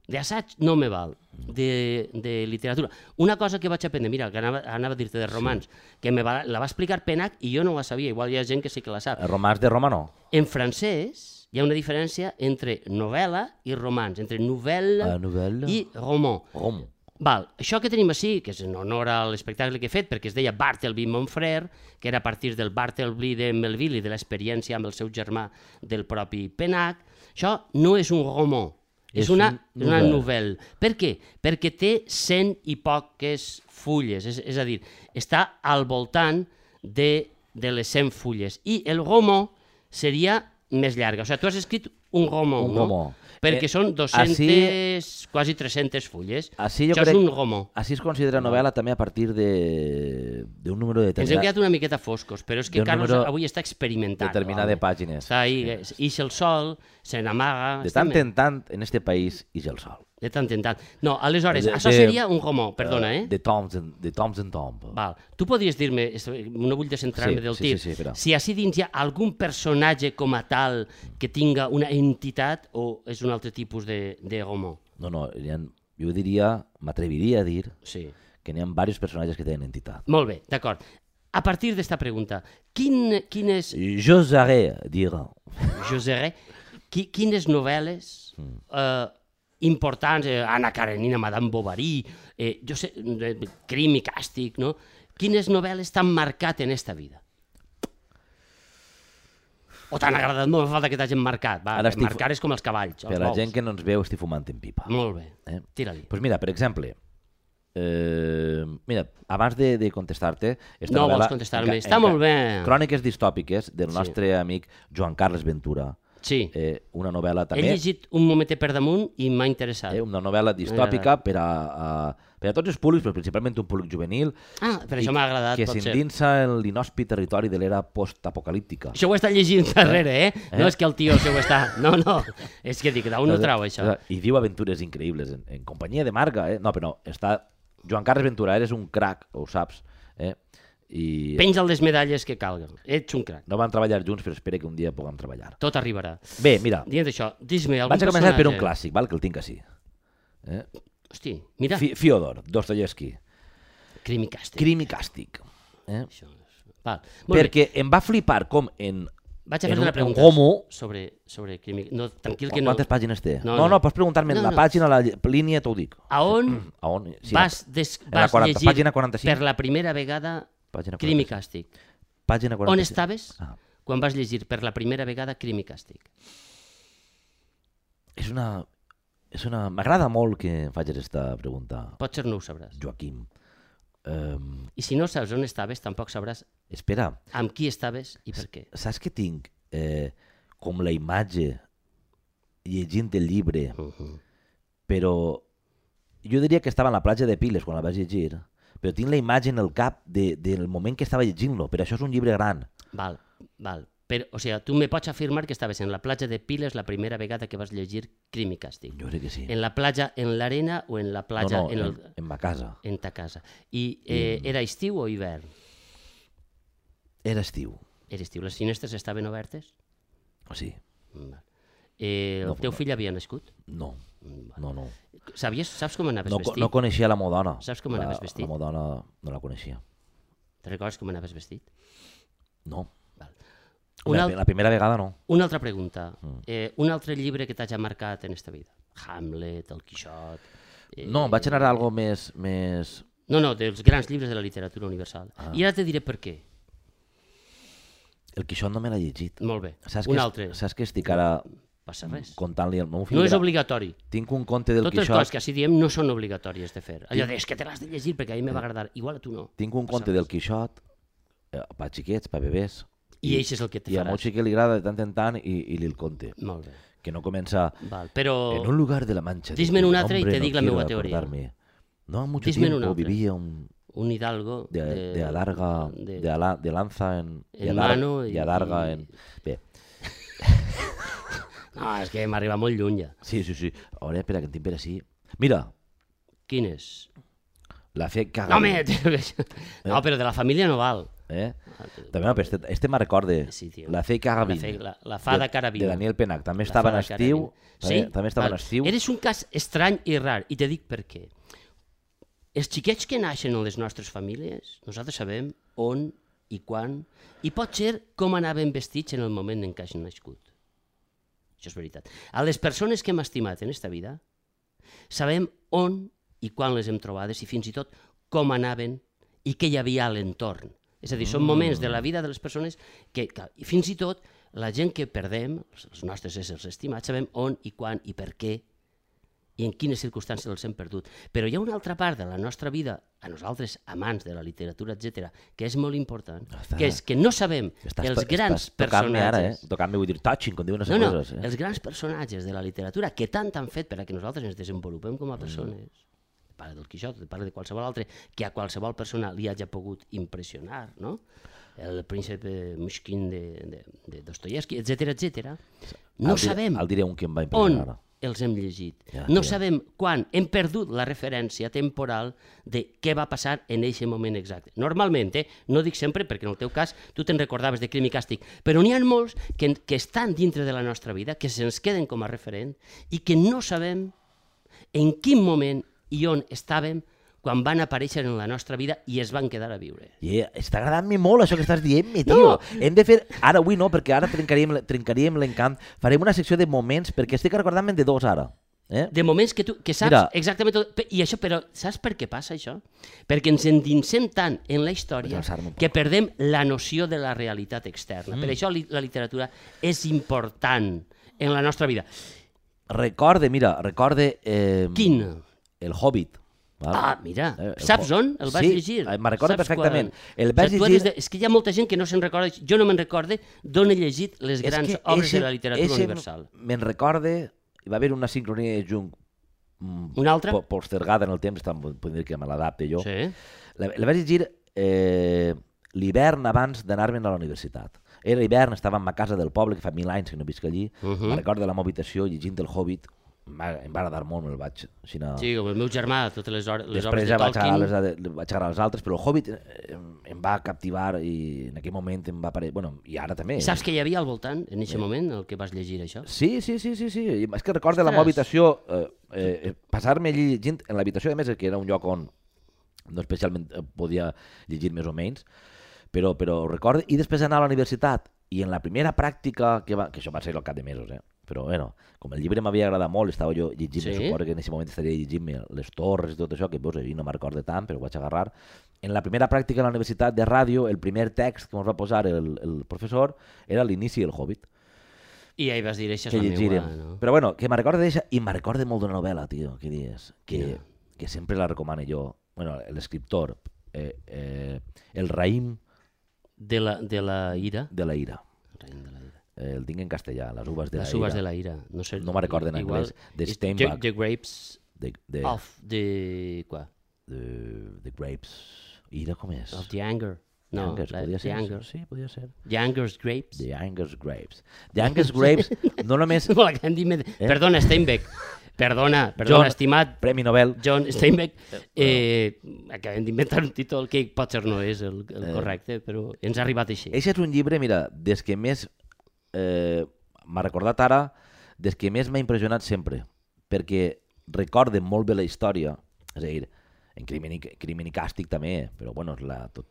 d'assaig no me val, de, de literatura. Una cosa que vaig aprendre, mira, que anava, anava a dir-te de romans, sí. que me va, la va explicar Penach i jo no la sabia, igual hi ha gent que sí que la sap. El romans de Roma no. En francès hi ha una diferència entre novel·la i romans, entre novel·la La novel·la. i roman. Rom. Val, això que tenim així, que és en honor a l'espectacle que he fet, perquè es deia Bartleby Montfrère, que era a partir del Bartleby de Melville i de l'experiència amb el seu germà del propi Penach, això no és un roman, és, És una, un una novel·la. novel·la. Per què? Perquè té cent i poques fulles, és, és a dir, està al voltant de, de les cent fulles. I el roman seria més llarga. O sigui, tu has escrit un roman, Un no? roman. Perquè Eh, són dues-centes, ací- quasi tres-centes fulles. Així jo Això crec... és un roman. Així es considera novel·la també a partir de d'un número Ens hem determinat, quedat una miqueta foscos, però és que d'un Carlos número avui està experimentant. determinat home. de pàgines. Està ahí, eh, ix el sol, se n'amaga... De està tant bé. en tant, en este país, ix el sol. De tant en tant. No, aleshores, De- això de- seria un roman, perdona, eh? De toms en, de toms en tom. Val. Tu podries dir-me, es- no vull descentrar-me Sí, del sí, tir, sí, sí, però- si així dins hi ha algun personatge com a tal que tinga una entitat o és un altre tipus de, de roman? No, no, hi ha, jo diria, m'atreviria a dir Sí. que n'hi ha diversos personatges que tenen entitat. Molt bé, d'acord. A partir d'esta pregunta, quin, quin és... J'oserais dir... José, qui, quines novel·les Mm. eh, importants, eh, Anna Karenina, Madame Bovary, eh, jo sé, eh, Crim i Càstig, no? Quines novel·les t'han marcat en esta vida? O t'han agradat molt, no fa falta que t'hagin marcat. Va, Ara estic- marcar és com els cavalls, els Per la bous. gent que no ens veu, estic fumant en pipa. Molt bé, Eh? tira-li. Pues mira, per exemple, eh, mira, abans de, de contestar-te... esta No novel·la vols contestar-me, enca- està enca- molt bé. Cròniques distòpiques del Sí. nostre amic Joan Carles Ventura. Sí, Eh, una novel·la he també... llegit un momentet per damunt i m'ha interessat. Eh, una novel·la distòpica per a, a, per a tots els públics, però principalment un públic juvenil, Ah, per i això m'ha agradat, que pot ser. s'endinsa en l'inhòspit territori de l'era postapocalíptica. Això ho està llegint darrere, eh? Eh? No és que el tio això ho està... No, no, és que dic, d'on ho trau, això? I viu aventures increïbles, en, en companyia de Marga, eh? No, però no, està... Joan Carles Ventura, eres un crac, ho saps, eh? I Penja les medalles que calguen. Ets un crac. no van treballar junts, però espero que un dia puguem treballar. Tot arribarà. Bé, mira, Dient això, dis-me algun vaig a començar per un personatge. clàssic, val? Que el tinc així. Eh? Hosti, mira, Fi Fiodor, Dostoyevsky, Crim i Càstig. Crim i càstig. Eh? Això és... Val. Molt bé, Perquè em va flipar com en... vaig a en fer un- una un pregunta homo- sobre, sobre Crim i... No, tranquil que no. Quantes pàgines té? No, No, no, no. pots preguntar-me No, la no. pàgina, la lle- línia, t'ho dic. A on A on? Sí, vas, des, en la vas quaranta, llegir pàgina quaranta-cinc. per la primera vegada Pàgina Crim i quaranta-cinc. Càstig? Pàgina On quaranta-cinc. estaves Ah. quan vas llegir per la primera vegada Crim i Càstig? És una... És una... M'agrada molt que em facis aquesta pregunta, Potser no ho sabràs. Joaquim. Um, I si no saps on estaves, tampoc sabràs espera, amb qui estaves i per què. saps que tinc eh, com la imatge llegint el llibre, Uh -huh. però jo diria que estava en la platja de Piles quan la vaig llegir, però tinc la imatge en el cap de, del moment que estava llegint-lo, però això és un llibre gran. Val, val. Però, o sigui, tu me pots afirmar que estaves en la platja de Piles la primera vegada que vas llegir Crim i Càstig. Jo crec que sí. En la platja, en l'arena o en la platja? no, no, en, en, el, en ma casa. en ta casa. I eh, era estiu o hivern? Era estiu. Era estiu. Les finestres estaven obertes? O sí. Val. Eh, el No, teu no. fill havia nascut? No, Val. no, no. Sabies, saps com anaves No, co- vestit? no coneixia la Modona. Saps com la, anaves vestit? La Modona no la coneixia. Te recordes com anaves vestit? No. Val. La, Una, al... la primera vegada no. una altra pregunta. Mm. Eh, un altre llibre que t'hagi marcat en esta vida? Hamlet, El Quixot... Eh... No, vaig anar a algo més... més... No, no, dels grans llibres de la literatura universal. Ah. I ara te diré per què. El Quixot no me l'ha llegit. Molt bé. Saps un que, altre. Saps que estic ara Passa res. contant-li al meu fill? No és gra- obligatori. Tinc un conte del Totes les Quixot. coses que així diem no són obligatòries de fer. Allò de, és que te l'has de llegir perquè a mi me va agradar. Igual a tu no. Tinc un Passa conte res. del Quixot eh, per xiquets, per bebès. I això és el que te I al meu faràs. xiquet li agrada de tant en tant i, i li el conte. Molt bé. Que no comença... Val. Però En un lugar de la Mancha. Dis-me'n de un cuyo altre i nombre te no dic la quiero meua teoria. acordarme. No ha mucho Dis-me'n un tiempo altre. vivía un... un hidalgo De, de, de adarga, de- de, ala- de lanza en... en de adar- mano i- i adarga i- en... Bé, No, és que m'arriba molt lluny ja. sí, sí, sí. Ara, espera, que en tinc per així. Mira, Quin és? la fe caga. No, home, no, però de la família no val. Eh? També, no, però este, este me recorde. Sí, tio. La fe caga La, vint. fe, la, la fada de, cara de viva. Daniel Penach. També La estava en fada cara estiu. viva. També, Sí? també estava Val. en estiu. Eres un cas estrany i rar, i te dic per què. Els xiquets que naixen en les nostres famílies, nosaltres sabem on i quan, i pot ser com anaven vestits en el moment en què hagin nascut. Això és veritat. A les persones que hem estimat en esta vida, sabem on i quan les hem trobades i fins i tot com anaven i què hi havia a l'entorn. És a dir, són moments de la vida de les persones que, que i fins i tot la gent que perdem, els nostres éssers estimats, sabem on i quan i per què i en quines circumstàncies els hem perdut. Però hi ha una altra part de la nostra vida, a nosaltres, amants de la literatura, etcètera, que és molt important, Està- que és que no sabem Estàs, els to- grans estàs tocant-me ara, eh? personatges... Tocant-me, vull dir, touching, com diuen les No, no, coses. Eh? els grans personatges de la literatura que tant han fet per a que nosaltres ens desenvolupem com a persones, mm. parla del Quixot, parla de qualsevol altre, que a qualsevol persona li hagi pogut impressionar, no? El príncipe Mushkin de, de, de Dostoyevsky, etcètera, etcètera. No El diré- sabem El diré un que em va on impressionar ara. els hem llegit. Ja, No ja. sabem quan. Hem perdut la referència temporal de què va passar en aquest moment exacte. Normalment, eh, no dic sempre, perquè en el teu cas tu te'n recordaves de Crim i Càstig, però n'hi ha molts que, que estan dintre de la nostra vida, que se'ns queden com a referent i que no sabem en quin moment i on estàvem quan van aparèixer en la nostra vida i es van quedar a viure. I està agradant-me molt això que estàs dient-me, tio. No. Hem de fer... Ara avui no, perquè ara trencaríem, trencaríem l'encant. Farem una secció de moments, perquè estic recordant-me de dos ara. Eh? De moments que tu que saps Mira. exactament tot. Pe- I això, però saps per què passa això? Perquè ens endinsem tant en la història Vaig alçar-me un poc. que perdem la noció de la realitat externa. Mm. Per això li, la literatura és important en la nostra vida. Recorde, mira, recorde... Eh, Quin? El Hobbit. Val? Ah, mira, Eh, el saps Ho- on el vas sí, llegir? eh, me'n recordo Saps perfectament. quan? El vaig O sigui, tu llegir- eres De... És que hi ha molta gent que no se'n recorda, jo no me'n recorde d'on he llegit les grans que obres eixe- de la literatura eixe universal. Me'n recorde... Hi va haver una sincronia de Jung mm, Una altra? po- postergada en el temps, està- podem dir que me l'adapte jo. Sí. La, la vaig llegir eh, l'hivern abans d'anar-me'n a la universitat. Era hivern, estava en ma casa del poble, que fa mil anys que no visc allí. Uh -huh. Me'n recordo de la meva habitació llegint el Hobbit. Em va, em va agradar molt, me'l vaig... Així, no... Sí, com el meu germà, totes les, hores, les obres Després de ja vaig Tolkien... agradar, les, de- vaig agradar els altres, però el Hobbit eh, em, em va captivar i en aquell moment em va aparèixer... Bueno, i ara també. I saps què hi havia al voltant, en aquest moment, el que vas llegir això? Sí, sí, sí, sí, sí. I és que recordo la meva Ostres. habitació, eh, eh, passar-me allí llegint en l'habitació, a més, que era un lloc on no especialment eh, podia llegir més o menys, però, però ho recordo. I després anar a la universitat, i en la primera pràctica, que, va, que això va ser al cap de mesos, eh? Però bueno, com el llibre m'havia agradat molt, estava jo llegint, Sí? sí? Suposo que en aquest moment estaria llegint les torres i tot això, que pues, ahir no me'n recordo tant, però ho vaig agarrar, en la primera pràctica a la universitat de ràdio, el primer text que ens va posar el, el professor era l'inici del Hobbit. I ahí vas dir, això és Que la llegirem. meua, no? Però bueno, que me recorda d'això, i me recorda molt d'una novel·la, tio, que dius, que, Quina? que sempre la recomano jo. Bueno, l'escriptor, eh, eh, el raïm De la, de la ira. de la ira. Raïm de la ira. Eh, el tinc en castellà, les uves de Les la uvas ira. de la ira. No, sé, No me'n recordo en igual, anglès. De és Steinbach. The, the grapes De, de, of the... Quoi? de, de grapes. Ira com és? Of the anger. No, Angers, la, podia the ser. anger. Sí, podia ser. The anger's grapes. The Angus Grapes. The Angus Grapes, no només... No, la que han dit... med- Perdona, Steinbeck. Perdona, perdona, John- estimat Premi Nobel. John Steinbeck. Eh, acabem d'inventar un títol que potser no és el, el correcte, però ens ha arribat així. Eixe és un llibre, mira, des que més eh, m'ha recordat ara, des que més m'ha impressionat sempre, perquè recorde molt bé la història, és a dir, en Crimen i, Crimen i Càstig també, però bueno, és la, tot,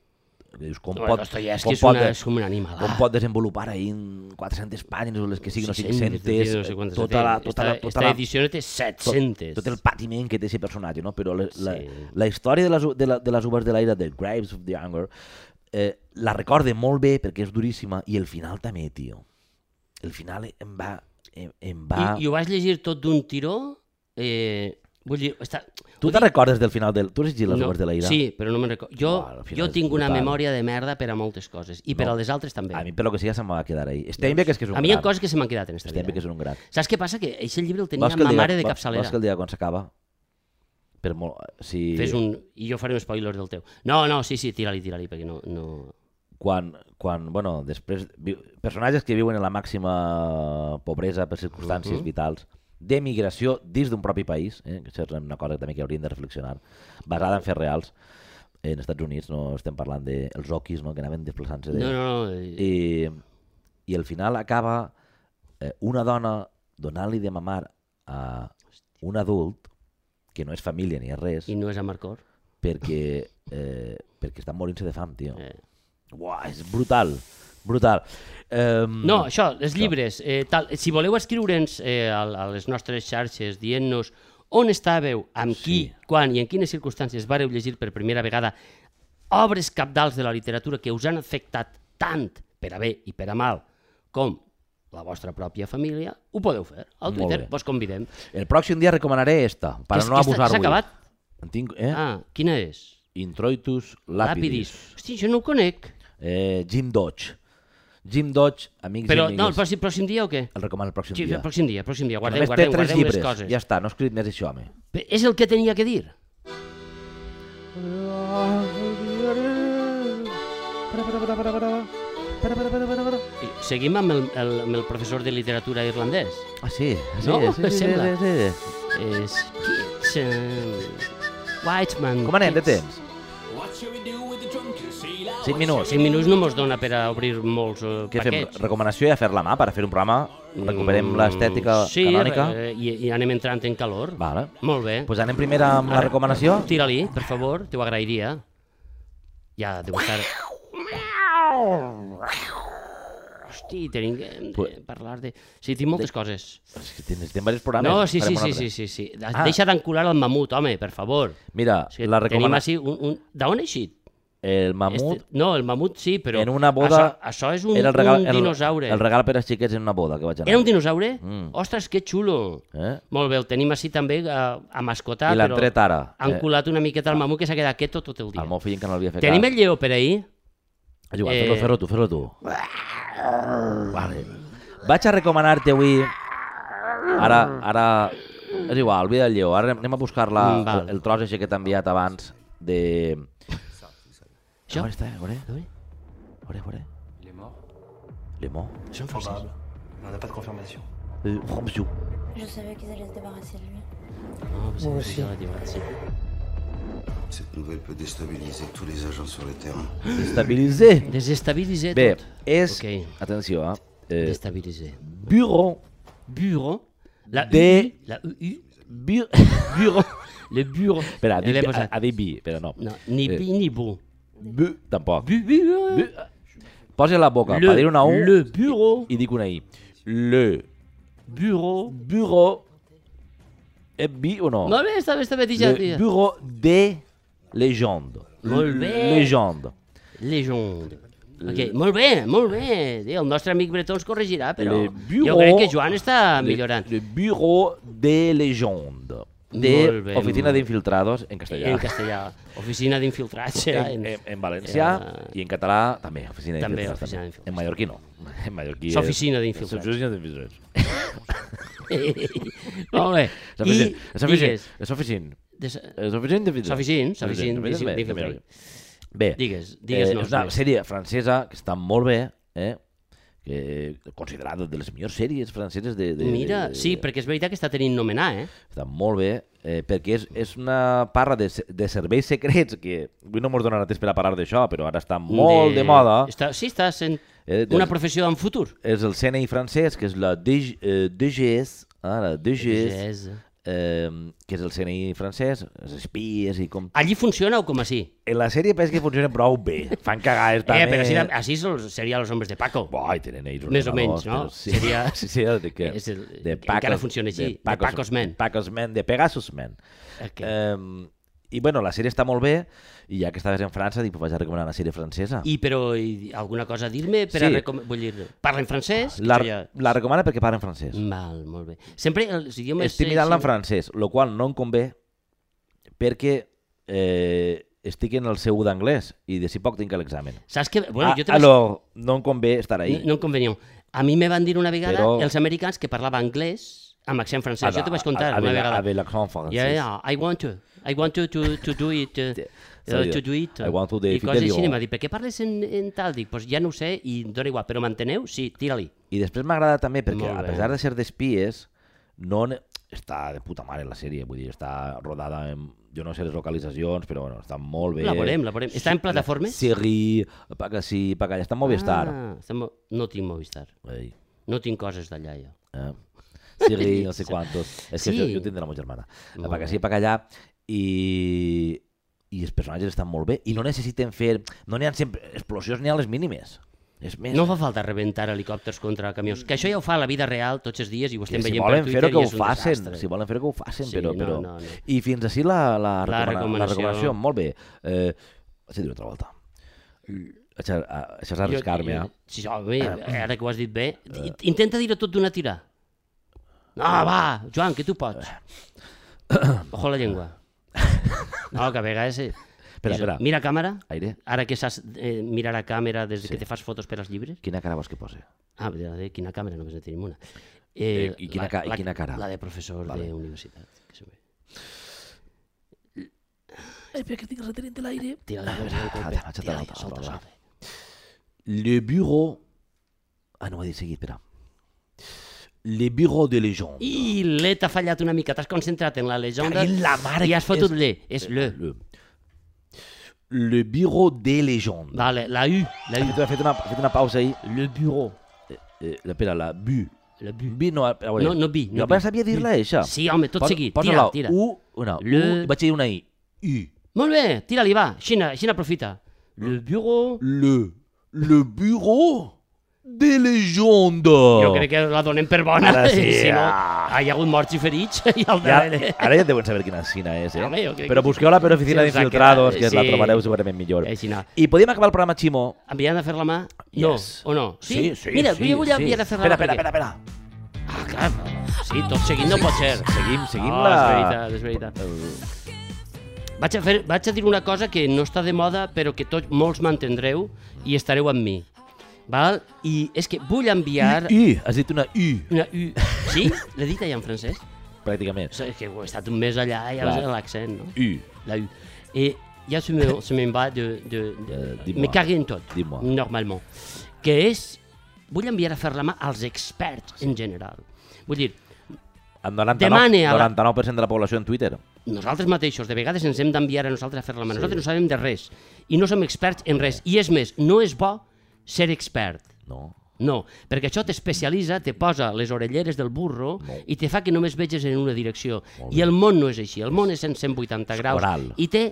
dius, com, No, pot, Dostoyevski com, és, pot, una, de- és com un animal. com pot desenvolupar ahir en quatre-centes pàgines o les que siguin, o seiscentes, cinc-centes, no sé quantes tota la, té. tota la, Esta, tota esta la, edició té set-centes. tot, tot el patiment que té aquest personatge, no? Però la, la, Sí. la història de les, de, la, de les uvas de l'aire, de Graves of the Anger, eh, la recorde molt bé perquè és duríssima, i el final també, tio. El final em va... Em, em va... I, I ho vas llegir tot d'un tiró? Eh, vull dir, està... Tu te'n recordes del final del... Tu has llegit les no, uvas de l'aire? Sí, però no me'n recordo. Jo, Uau, al final jo és tinc una brutal. memòria de merda per a moltes coses, i per No. a les altres també. A mi, per lo que sigui, se'm va quedar ahí. Steinbeck és que és un A mi hi ha gran. coses que se m'han quedat en esta Steinbeck vida. és un gran. Saps què passa? Que aquest llibre el tenia Vols que el ma diga- mare de vols- capçalera. Vols que el dia quan s'acaba? Per molt... Si... Fes un... I jo faré un spoiler del teu. No, no, sí, sí, tira-li, tira-li, perquè no... no... Quan, quan, bueno, després... vi- Personatges que viuen en la màxima pobresa per circumstàncies Mhm. vitals, d'emigració dins d'un propi país, eh, que això és una cosa també que hauríem de reflexionar, basada en fets reals. En Estats Units no estem parlant dels oquis, no?, que anaven desplaçant-se de... No, no, no. eh, I, i al final acaba eh, una dona donant-li de mamar a un adult que no és família ni és res, I no és Amarcor. perquè, eh, perquè estan morint-se de fam, tio. Eh. Uau, és brutal, brutal. Um, No, això, els llibres. Eh, tal, si voleu escriure'ns eh, a, a les nostres xarxes dient-nos on estàveu, amb qui, Sí. quan i en quines circumstàncies vareu llegir per primera vegada obres cabdals de la literatura que us han afectat tant per a bé i per a mal com la vostra pròpia família, ho podeu fer. Al Molt Twitter bé. vos convidem. El pròxim dia recomanaré esta, per Que és- no que està- abusar-ho. s'ha acabat? En tinc, eh? Ah, quina és? Introitus Lapidis. Hosti, jo no ho conec. Eh, Jim Dodge. Jim Dodge, amics Però i no, el amigues. pròxim, pròxim dia o què? El recomano el pròxim Sí, dia. el pròxim dia, el pròxim dia. Guardem, Només té guardem, tres guardem les llibres, coses. ja està, no he escrit més això, home. Però és el que tenia que dir. I seguim amb el, el, amb el professor de literatura irlandès. Ah, sí? sí No? sí, sí, Sembla. sí, sí. És Kitchen Whiteman. Com anem de Kids. temps? cinc minuts. Cinc minuts no mos dona per a obrir molts uh, Què fem? paquets. Recomanació i a fer la mà per a fer un programa? Recuperem Mm, l'estètica sí, canònica? eh, i, i anem entrant en calor. Vale. Molt bé. Pues anem primer amb la recomanació? Tira-li, per favor, t'ho agrairia. Ja deu estar... Hosti, tenim que hem de Pues- parlar de... Sí, tinc moltes coses. És que necessitem diversos programes. No, sí, sí, farem un sí, altre. sí, sí, sí. Ah. Deixa d'encular el mamut, home, per favor. Mira, És que la tenim recomanació... així un... un... D'on és així? El mamut Este... No, el mamut sí, però... en una boda... Això, això és un, era el regal, un dinosaure. El, el regal per als xiquets en una boda que vaig anar. Era un dinosaure? Mm. Ostres, que xulo. Eh? Molt bé, el tenim així també a, a mascotar, I l'han però tret ara. han Eh, colat una miqueta al mamut que s'ha quedat quieto tot el dia. el meu fill encara no l'havia fet Tenim cas. el lleó per ahir? És igual, eh, fer-lo, fer-lo tu, fer-lo tu. Vale. Vaig a recomanar-te avui... Ara, ara... És igual, oblida el lleó. Ara anem a buscar la, Mm, val. el, el tros així que t'he enviat abans de... Això? On està? A veure, Oui. a veure, a veure. Il est mort. Le mot. Això en francès. Probable. Mais on n'a pas de confirmation. Euh, Ramsou. Je savais qu'ils allaient se débarrasser de lui. No, pues Moi sí, aussi. ja l'he dit, sí. Cette nouvelle peut déstabiliser tous les agents sur le terrain. Destabiliser. Desestabiliser Bé, tot. és... Ok. Atenció, eh? eh Destabiliser. bureau. Bureau. La De- U U. La U U. Bu Bureau. Le bureau. Espera, L'he dic, posat. ha, ha dit bi, però no. No, ni Eh. bi ni bu. Bu, tampoc. Bu, bu, Bu. Posa la boca Le- per dir una U le bureau. i dic una I. Le Bureau. bureau... És bi o no? Molt bé, està bé, està bé, ja, Le ja. bureau de Legende. Molt bé. Legende. Legende. Okay. Molt bé, molt bé. El nostre amic Bretó ens corregirà, però Le bureau, jo crec que Joan està millorant. Le, le bureau de legende. De Molt bé, Oficina molt- d'Infiltrados en castellà. En castellà. Oficina d'infiltrats serà. En, En, en, en valencià Eh, i en català també, oficina també, d'infiltrats. oficina també. d'infiltrats. En mallorquí no. En mallorquí és... S'oficina d'infiltrats. S'oficina d'infiltrats. molt bé. I S'oficina. digues... S'oficina. des- S'oficina d'infiltrats. S'oficina, s'oficina S'oficina d'infiltrats. Bé, Digues, eh, digues-nos és una més. sèrie francesa que està molt bé, eh? que considerada de les millors sèries franceses de... de Mira, de, de, sí, perquè és veritat que està tenint nomenar, eh? Està molt bé, eh, perquè és, és una parra de, se- de serveis secrets que avui no ens donarà temps per a parlar d'això, però ara està molt de, de moda. Està, sí, està sent Eh, una des- professió en futur. És el C N I francès, que és la D G, eh, D G S, ah, la D G S, Yes. eh, que és el C N I francès, els espies i com... Allí funciona o com així? En la sèrie penso que funcionen prou bé. Fan cagades també. Eh, però així, així sol- seria Los Hombres de Paco. Ai, tenen ells Més o ordenadors, menys, no? però Sí, Seria- sí, sí, de, que, És el- de encara funciona així, de Pacos Men. De Pacos Men, de Pegasus Men. Okay. Eh, I bueno, la sèrie està molt bé, i ja que estaves en França, dic, pues vaig a recomanar una sèrie francesa. I però i, alguna cosa a dir-me per Sí. a recom... Vull dir, parla en francès? Que La, això ja... la recomana perquè parla en francès. Val, molt bé. Sempre els idiomes... Estic mirant-la en francès, el qual no em convé perquè eh, estic en el seu d'anglès i d'ací poc tinc l'examen. Saps que... Bueno, jo Ah, també... alors, no em convé estar ahí. No, no em convenia. A mi me van dir una vegada Però- els americans que parlava anglès amb accent francès. Jo t'ho vaig contar avec, una vegada. Avec l'accent francès. Yeah, yeah, I want to. I want to, to, to do it. Uh, uh, to do it. I want to de I coses Fidelio. així. I em va dir, per què parles en, en tal? Dic, pues ja no ho sé i em dona igual. Però m'enteneu? Sí, tira-li. I després m'agrada també perquè, Molt a bé. pesar de ser d'espies, no ne- està de puta mare la sèrie, vull dir, està rodada en... Jo no sé les localitzacions, però bueno, està molt bé. La veurem, la veurem. Està en plataformes? Siri, pa que sí, pa que allà, està en Movistar. Ah, està mo- no tinc Movistar. Ei, No tinc coses d'allà, jo. eh? Siri, no sé quantos. És que Sí. jo, jo tindré la meva germana. Molt Pa que bé. sí, pa que allà. I, I els personatges estan molt bé i no necessiten fer... No n'hi ha sempre explosions ni a les mínimes. És més... No fa falta rebentar helicòpters contra camions. Que això ja ho fa a la vida real tots els dies i ho Que estem si veient volen per fer-ho Twitter que i ho és un facin, desastre. si volen fer-ho que ho facin, Sí, però... no, però... no, no. I fins així la, la, La recomana, recomanació. la recomanació, molt bé. Eh, vaig a dir altra volta. Això, això és arriscar-me, Jo- eh? Sí, home, ara que ho has dit bé, i- intenta dir-ho tot d'una tira. No, va, Joan, que tu pots. Ojo la llengua. No, que a vegades... eh, Espera, és- espera. Mira a càmera, Aire, ara que saps eh, mirar a càmera des Sí. que te fas fotos per als llibres. quina cara vols que posi? Ah, de, de quina càmera, només en tenim una. Eh, i quina ca- i quina cara? La de professor Vale. d'universitat. Que se ve. Espera, que estic retenint l'aire. Tira la cosa del Ah, colpe. vaig a Tira-li, l'altra, solta, l'altra. solta. Le bureau... Ah, no ho he dit seguit, espera. Le bureau de légende. I l'E t'ha fallat una mica, t'has concentrat en la llegenda Caguin la mare i has que fotut és- l'E, és le. Le, le bureau de légende. Vale, la U, la Ha U. fet, ha fet, una, ha fet una pausa ahí. Le bureau. Eh, eh, espera, la bu. La bu. Bu no, a veure. No, no bi, no Jo bi. apenas sabia dir-la, això. Sí, home, tot Posa- seguit. posa Tira, la tira. U, una Le- U, i vaig dir una I. U. Molt bé, tira-li, va. Xina, Xina aprofita. Le bureau... Le, le bureau de légende. Jo crec que la donem per bona. Ara sí, si no, ah. hi ha hagut morts i ferits i al Ja, darrere. ara ja deuen saber quina Xina és, eh? Home, jo crec Però que sí. busqueu-la per Oficina Sí, d'Infiltrados, que sí. la trobareu segurament millor. Eh, Xina. I podíem acabar el programa, Ximo? Enviant a fer la mà? No, Yes. o no? Sí, sí, Mira, sí, jo vull sí. enviar a fer la Espera, mà. espera, perquè- espera, espera. Ah, clar. Sí, tot seguint no pot ser. Seguim, seguim No, la... és veritat, és veritat. Vaig a, fer, vaig a dir una cosa que no està de moda, però que tots, molts m'entendreu i estareu amb mi. Val? I és que vull enviar... U, has dit una U, Una U. Sí? L'he dit allà en francès? pràcticament. O sigui, és que he estat un mes allà i ja Clar. l'accent, no? U. La U. Et ja se me, se me'n va de... de, de Euh, dis-moi. me cagué en tot, Dis-moi. normalment. Que és... Vull enviar a fer la mà als experts en general. Vull dir, Amb noranta-nou, Demane a la- noranta-nou per cent de la població en Twitter. nosaltres mateixos, de vegades ens hem d'enviar a nosaltres a fer la mà. Nosaltres no sabem de res i no som experts en res. I és més, no és bo ser expert. No. No, perquè això t'especialitza, te posa les orelleres del burro No. i te fa que només veges en una direcció. Molt I el món no és així, el món és en cent vuitanta graus Oral. i té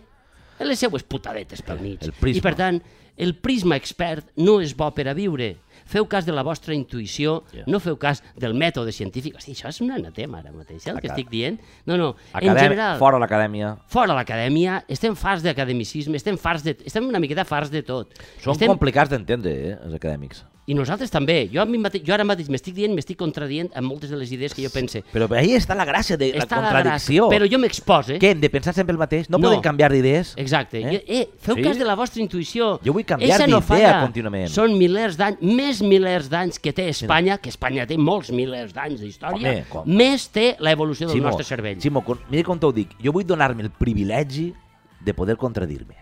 les seues putadetes pel mig. el prisma. I per tant, el prisma expert no és bo per a viure, feu cas de la vostra intuïció, Yeah. no feu cas del mètode científic. Hosti, això és un anatema ara mateix, eh, el que Acad- estic dient. No, no, Acadèm... en general, Fora l'acadèmia. fora l'acadèmia, estem farts d'academicisme, estem farts de... estem una miqueta farts de tot. Són estem... complicats d'entendre, eh, els acadèmics. I nosaltres també. Jo, a mi mate... jo ara mateix m'estic dient, m'estic contradient amb moltes de les idees que jo pense. Però ahí està la gràcia de la Està contradicció. gràcia, però jo m'expose. Què, hem de pensar sempre el mateix? No, No. podem canviar d'idees? Exacte. Eh? Eh? Eh, feu Sí? cas de la vostra intuïció. Jo vull canviar Eixa no d'idea falla. contínuament. Són milers d'anys, més milers d'anys que té Espanya, que Espanya té molts milers d'anys d'història, Home, com? més té l'evolució del Ximo, nostre cervell. Ximo, con- mira com t'ho dic. Jo vull donar-me el privilegi de poder contradir-me.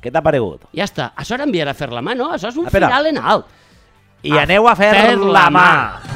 Què t'ha paregut? Ja està. Això era enviar a fer la mà, no? Això és un Espera. final en alt. I aneu a fer, fer la la mà. mà.